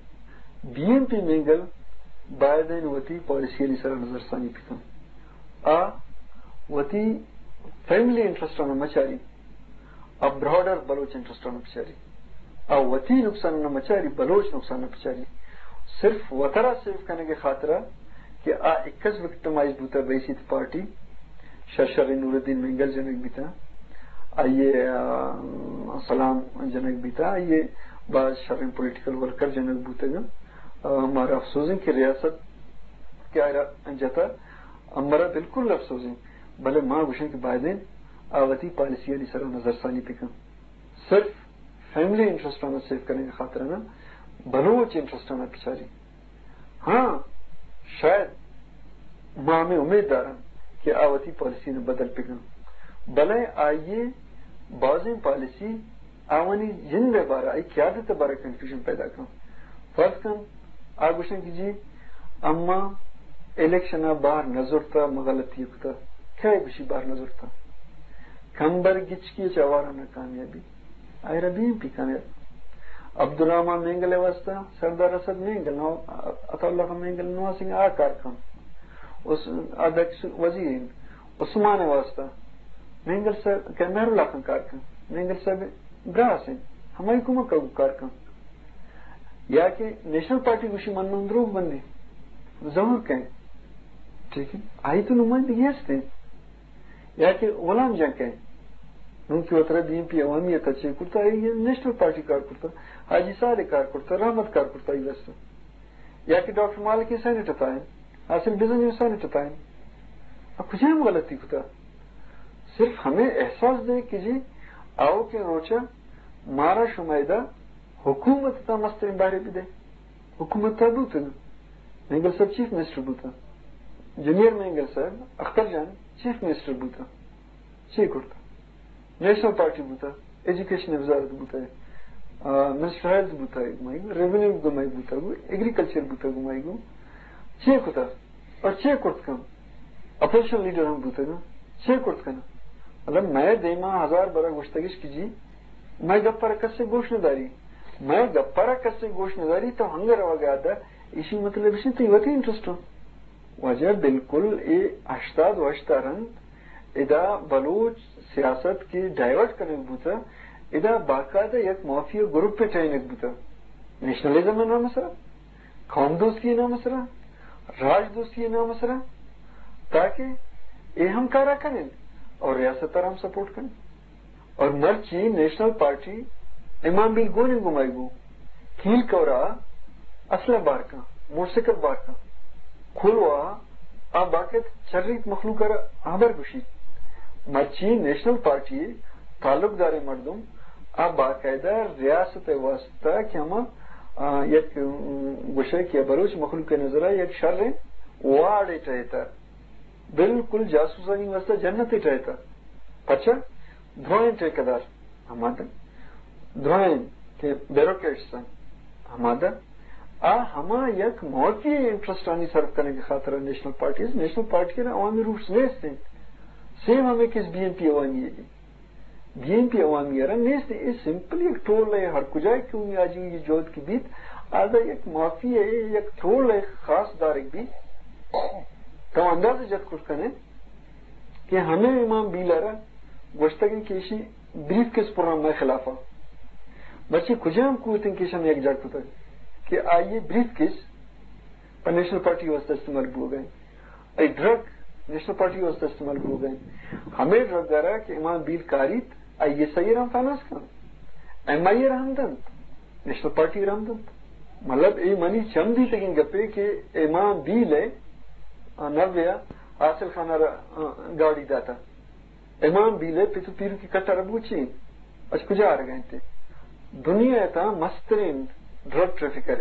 بی این پی مینگل بایدیں وتی پالیسی انی سرا نظرثانی بکن۔ آ وتی فیملی انٹرسٹ آناں مچاری، آ براڈر بلوچ انٹرسٹ آناں بچاری، آ وتی نقصان نہ مچاری، بلوچ نقصان نہ بچاری۔ صرف وترا سیو کنگ ء خاطر ء کہ آ اکس وکٹمائز بوتا، بحیثیت پارٹی شر شریں نور الدین مینگل جنگ بیتا، آئی ء، آ، سلام جنگ بیتا، آئی ء باز شریں پولیٹیکل ورکر جنگ بوتگ۔ آ، مارا افسوز انت کہ ریاست کہ آئرا جتا، امرا بالکل افسوز انت، بلے ما گوشن کہ بایدیں آ وتی پالیسی آنی سرا نظرثانی بکن۔ صرف فیملی انٹرسٹ آناں سیو کنگ ء خاطر نہ، بلوچ انٹرسٹ آناں بچاری۔ ہاں، شاید ما ہمے امید دارن کہ آ وتی پالیسی نہ بدل بکن، بلے آئی ء بازیں پالیسی آوانی جند ء بارا، آئی قیادت ء بارا کنفیوژن پیدا کن۔ فرض کن، آ گوشن کہ جی، اما الیکشن ء باہر نہ زرتا، ما غلطی کتا۔ کئے گوشی باہر نہ زرتا؟ کمبر گچکی چہ آواران ء کامیابی۔ آئرا بی این پی کامیاب۔ عبدالرحمن مینگل ء واسطہ سردار اسد مینگل، نو-، عطا اللہ خان مینگل نواز سنگھ آ کار کن۔ اس-، آ دک وزیر انت۔ عثمان ء واسطہ مینگل صاحب کہ مہر اللہ خان کار کن۔ مینگل صاحب براس انت۔ ہمائی کمک ء کار کن۔ یا کہ نیشنل پارٹی گوشی من نوں دروگ بندی۔ ظہور کن۔ ٹھیک ہے۔ آئی تو نمائندگی ہست انت۔ یا کہ غلام جان کئے؟ نوں کہ وترا بی این پی عوامی ء تچے کرتا، اے نیشنل پارٹی کار کرتا، حاجی صالح کار کرتا، رحمت کار کرتا، اے واسطہ۔ یا کہ ڈاکٹر مالک سینیٹ ء تھا، حاصل بزنجو سینیٹ ء تھا۔ اب کجام غلطی کتا؟ صرف ہمیں احساس دے کہ جی، آؤ کہ روچا مارا شمائدہ حکومت تا مستریں بہرے بدے۔ حکومت تا بوتگ۔ مینگل صاحب چیف منسٹر بوتا۔ جونیئر مینگل صاحب، اختر جان، چیف منسٹر بوتا۔ چی کرتا؟ نیشنل پارٹی بوتا، ایجوکیشن وزارت بوتا، آ، منسٹر ہیلتھ بوتا، گمائی گو، ریونیو گمائی بوتا، گو، ایگریکلچر بوتا، گمائی گو۔ چی کتا؟ اور چے کرت کن؟ اپوزیشن لیڈر ہم بوتگاں، چے کرت کن؟ مطلب، مئے دیما ہزار برا گوشتگش کہ جی، مئے گپ ءَ را کسے گوش نہ داری، مئے گپ ءَ را کسے گوش نہ داری، تو ہنگہ روگ ءَ ادا، ایشی مطلب اش انت تئی وتی انٹرسٹ انت۔ واجہ، بالکل اے ہشتاد و ہشت ءَ رند ادا بلوچ سیاست کہ ڈائیورٹ کنگ بوتہ، ادا باقاعدہ یک مافیا گروپ ءِ ٹہینگ بوتہ، نیشنلزم ءِ نام ءِ سرا، قوم دوستی ءِ نام ءِ سرا، راج دوستی ءِ نام ءِ سرا، تاکہ اے ہم کارا کنن اور ریاست ءَ را ہم سپورٹ کنن۔ اور مرچی نیشنل پارٹی امام بیل گون انت گوں مئے گوں، کھیل کورا اسلحہ بار کن، موٹرسائیکل بار کن، کھلوا آ باقاعدہ چریت مخلوق ءَ را ہبر گوشیت۔ مرچی نیشنل پارٹی تعلق داریں مردم آ باقاعدہ ریاست ءِ واسطہ کہ ہما، آ، یک، ام، گوشے کہ بلوچ مخلوق ءِ نظر ءَ یک شریں واڑے ٹہیتہ، بالکل جاسوسانی واسطہ جنتے ٹہیتہ۔ پچا؟ درائیں ٹھیکیدار ہما داں، درائیں کہ بیوروکریٹس انت ہما داں، آ ہما یک مافیا انٹرسٹانی سرف کنگ ءِ خاطر نیشنل پارٹیز، نیشنل پارٹی ءَ عوامی روٹس نیست انت۔ سیم ہمے کیس بی این پی عوامی ءِ۔ بی این پی عوامی ءَ را نیست، اے سمپل یک ٹول ءِ، ہر کجا کہ اونی آجوئی جہد کہ بیت، آ داں یک مافیا ءِ یک ٹول ءِ خاص دارگ بیت۔ تو اندازہ جت کت کن ئے کہ ہمے امام بیل ءَ را گوشتگ انت کہ ایشی بریف کیس پران مئے خلاف ءَ۔ مرچی کجام قوت انت کہ ایشاں یک جاہ کتگ کہ آئی ءِ بریف کیس پہ نیشنل پارٹی ءِ واسطہ استعمال بوگ ءَ انت؟ اے ڈرگ نیشنل پارٹی ءِ واسطہ استعمال بوگ ءَ انت۔ ہمے ڈرگ ءَ را کہ امام بیل کاریت، آئی ایس آئی ءَ را ہم فنانس کنت، ایم آئی اے ءَ را ہم دنت، نیشنل پارٹی ءَ را ہم دنت۔ مطلب، اے منی چم دیتگیں گپے کہ امام بیل ءَ، آ، نوے ءَ حاصل خان ءَ را، آ، گاڑی داتہ۔ امام بیل ءِ پت ءُ پیرکی کٹ ءَ را بوچی، اچ کجا آرگ ءَ انت؟ دنیا ءِ تہا مستریں ڈرگ ٹریفکر،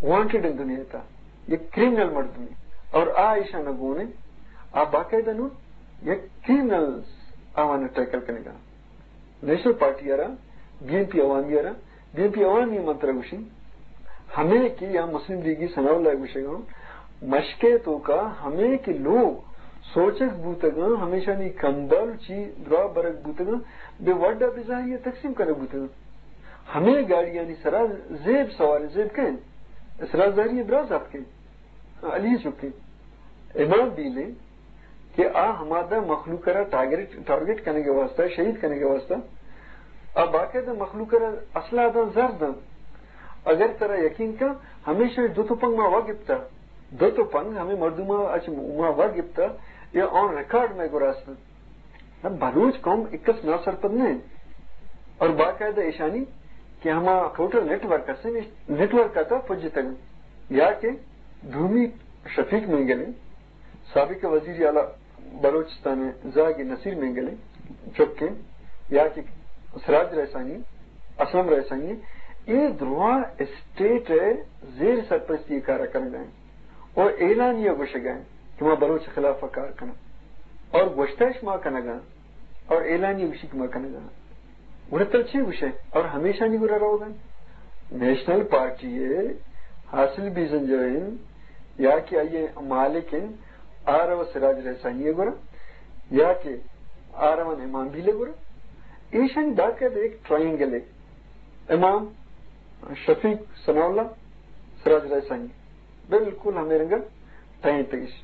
وانٹڈ انت دنیا ءِ تہا، یک کریمنل مردمے، اور آ ایشاں گون انت، آ باقاعدہ نوں یک کریمنلز آوان ٹیکل کنگا۔ نیشنل پارٹی ءَ را، بی این پی عوامی ءَ را، بی این پی عوامی من ترا گوشیں، ہمے کہ یا مسلم لیگی ثناء اللہ ءَ گوشگا، مشکے توکا ہمے کہ لوگ سوچگ بوتگاں، ہمیشانی کمبل چی درا برگ بوتگاں، بے وڈا بے زہری تقسیم کنگ بوتگاں۔ ہمے گاڑیانی سرا زیب سوار، زیب کن، سرا زہری براز اتکیں۔ علی چکیں امام بیلیں کہ آ ہمادا مخلوق ءَ را ٹارگٹ، ٹارگٹ کنگ ءِ واسطہ، شہید کنگ ءِ واسطہ، آ باقاعدہ مخلوق ءَ را اسلحہ داں، زر داں۔ اگر ترا یقین کن، ہمیشانی دو تپنگ ما وا گپتا، دو تپنگ ہمے مردم ءَ اچ ما وا گپتا، یا آن ریکارڈ مئے گورا است۔ نہ، بلوچ قوم اکس ناسرپد نہ انت۔ اور باقاعدہ ایشانی کہ ہما ٹوٹل نیٹ ورک است، نیٹ ورک ءِ تہا پجتگ انت۔ یا کہ دومی شفیق مینگل انت، سابق وزیر اعلیٰ بلوچستان ءِ زاگ نصیر مینگل انت، چک انت، یا کہ سراج رئیسانی، اسلم رئیسانی، اے درواں اسٹیٹ ءِ زیر سرپرستی ءَ کار کنگ ءَ انت۔ اور اعلانیہ گوشگ ءَ انت کہ ما بلوچ ءِ خلاف ءَ کار کناں۔ اور گوشتہ اش ما کنگ ءَ آں۔ اور اعلانیہ گوشی کہ ما کنگ ءَ آں۔ گڑا تو چے گوشے؟ اور ہمیشانی گورا روگ ءَ انت۔ نیشنل پارٹی ءِ حاصل بیزنجو انت، یا کہ آئی ءِ مالک انت، آ رو سراج رئیسانی ءِ گورا، یا کہ آ روان امام بیل ءِ گورا۔ ایشانی باقاعدہ ایک ٹرائنگل ہے۔ امام، شفیق، ثناء اللہ، سراج رئیسانی۔ بالکل ہمے رنگ ءَ ٹہینتگش۔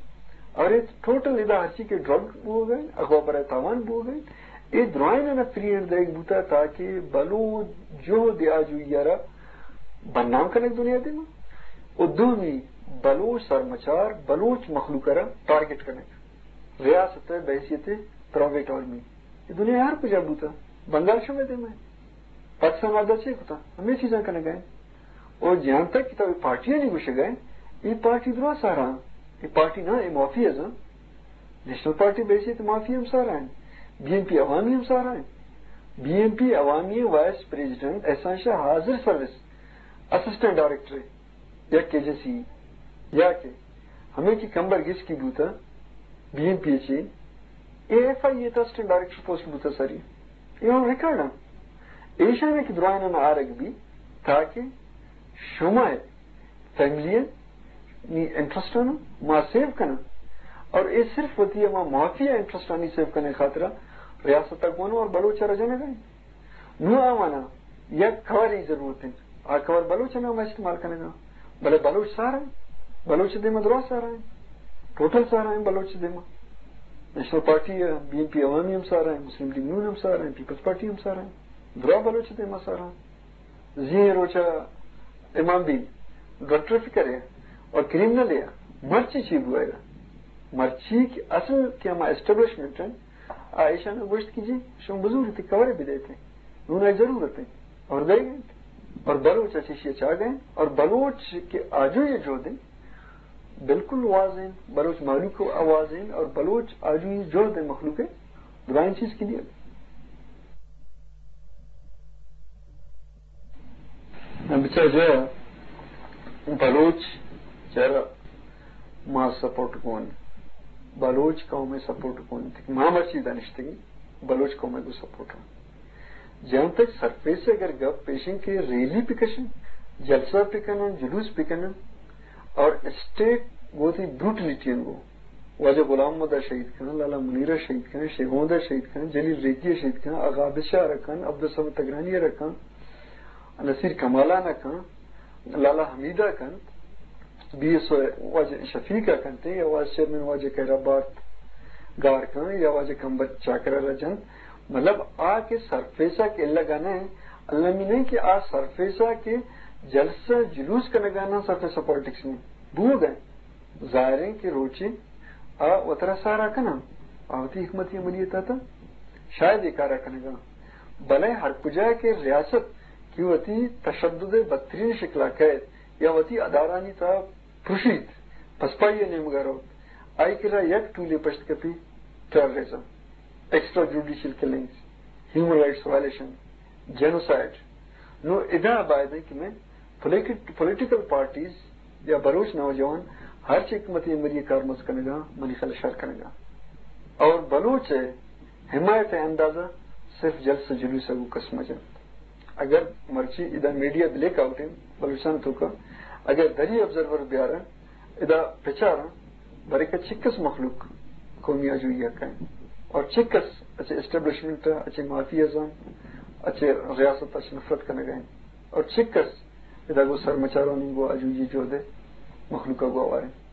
اور اے ٹوٹل ادا ہرچی کہ ڈرگ بوگ ءَ انت، اغوا برائے تاوان بوگ ءَ انت، اے درائیناں فری ہینڈ دئیگ بوتا تاکہ بلوچ جہد آجوئی ءَ را بدنام کنگ دنیا دیما، و دومی بلوچ سرمچار، بلوچ مخلوق ءَ را ٹارگٹ کنگ، ریاست ءِ بحیثیت پرائیویٹ آرمی۔ اے دنیا ہر کجا بوتا، بنگال شمئے دیما، پاکستان آدا چے کتا، ہمے چیزاں کنگ ءَ انت۔ او جہان تک کہ تو اے پارٹیانی گوشگ ءَ ئے، اے پارٹی درا سارا انت۔ اے پارٹی نہ، اے مافیاز انت۔ نیشنل پارٹی بحیثیت مافیا ہم سارا انت۔ بی این پی عوامی ہم سارا انت۔ بی این پی عوامی وائس پریزیڈنٹ احسان شاہ حاضر سروس اسسٹنٹ ڈائریکٹر یک ایجنسی یا کہ ہمے کہ کمبر گچکی بوتا، بی این پی ءَ چہ اے ایف آئی اے ءِ اسسٹنٹ ڈائریکٹر پوسٹ بوتا ساری۔ اے آن ریکارڈ انت۔ ایشاں کہ درائیناں آرگ بی تاکہ شمئے فیملی ءَ نی انٹرسٹ آناں ما سیو کناں، اور اے صرف وتی ہما مافیا انٹرسٹ آنی سیو کنگ خاطرا ریاست ءَ گون اور بلوچ ءَ رجانگ ءَ انت۔ نوں آواناں یک کورے ضرورت انت، آ کور بلوچ ءِ نام ءَ استعمال کنگ ءَ، بلے بلوچ سارا انت، بلوچ ءِ دیما درا سارا انت، ٹوٹل سارا انت بلوچ ءِ دیما۔ نیشنل پارٹی ءَ، بی این پی عوامی ہم سارا انت، مسلم لیگ نون ہم سارا انت، پیپلز پارٹی ہم سارا انت، درا بلوچ ءِ دیما سارا انت۔ زی روچا امام بین ڈاکٹر فکر ہے اور کرمنل ہے، مرچی چی بوائے گا؟ مرچی کہ اصل کہ ہما اسٹیبلشمنٹ ہیں، آ ایشان گوشت کہ جی، شما بزور تے کورے بدیتے، نون آئی ضرورت ہے، اور دے گئے۔ اور بلوچ اچھے شی چاہ گئے، اور بلوچ کے آجو یہ جو دیں، بالکل واضح ہیں، بلوچ مالوک آواز ہیں، اور بلوچ آجو یہ جو دیں مخلوق ہے، درائیں چیز کے لیے۔ بچار جا بلوچ چرا ما سپورٹ کن، بلوچ قوم سپورٹ کن، ما مرچی دانشتگی بلوچ قوم کو سپورٹ کن۔ جہاں تک سرفیس اگر گپ پیشن کے ریلی پکشن، جلسہ پکنن، جلوس پکنن، اور اسٹیٹ گوتی بروٹلیٹی انگو واجہ غلام محمد ءَ شہید کن، لالا منیر ءَ شہید کن، شیخ محمد ءَ شہید کن، جلیل ریگی ءَ شہید کن، آغا عابد شاہ ءَ کن، عبدالصمد تگرانی ءَ کن، نصیر کمالان ءَ کن، لالا حمید ءَ کن، بی ایس او واجہ شفیق ءَ کنت، یا وائس چیئرمین واجہ خیر آباد گار کن، یا واجہ کمبر چاکر ءَ را جنت۔ مطلب آ کہ سرفیس ءَ کہ الگ ءَ نہ، المی نہیں کہ آ سرفیس ءَ کہ جلسہ جلوس کنگانا سرفیس ءَ پالیٹکس میں بوگ ءَ۔ ظاہر ہے کہ روچے آ وترا سارا کناں، آ وتی حکمت عملی تحت شاید اے کارا کنگا، بلے ہر کجا کہ ریاست کہ وتی تشدد بدترین شکلا کئیت یا وتی ادارانی تہا پرشیت، پسپائی نیمگا روت، آئی کرا یک ٹولے پشت کپی، ٹیررزم، ایکسٹرا جوڈیشل کلنگز، ہیومن رائٹس وائلیشن، جینوسائیڈ۔ نو ادا باید ہے کہ میں پولیٹیک-، پولیٹیکل پارٹیز یا بلوچ نوجوان ہر چی حکمت عملی کارمرز کنگا، منی خیال شر کنگا۔ اور بلوچ ہے حمایت اندازہ صرف جلسہ جلوس کو کس مجن۔ اگر مرچی ادا میڈیا بلیک آؤٹ ہیں بلوچستان توکا، اگر دری آبزرور بیارن، ادا پچاراں، بریکہ چکس مخلوق قومی آجوئی حق ہیں، اور چکس اچھے اسٹیبلشمنٹ، اچھے مافیازم، اچھے ریاست، اچھے نفرت کنگا ہیں، اور چکس ادا گو سرمچارانی گو آجوئی جہد مخلوق گو آواریں۔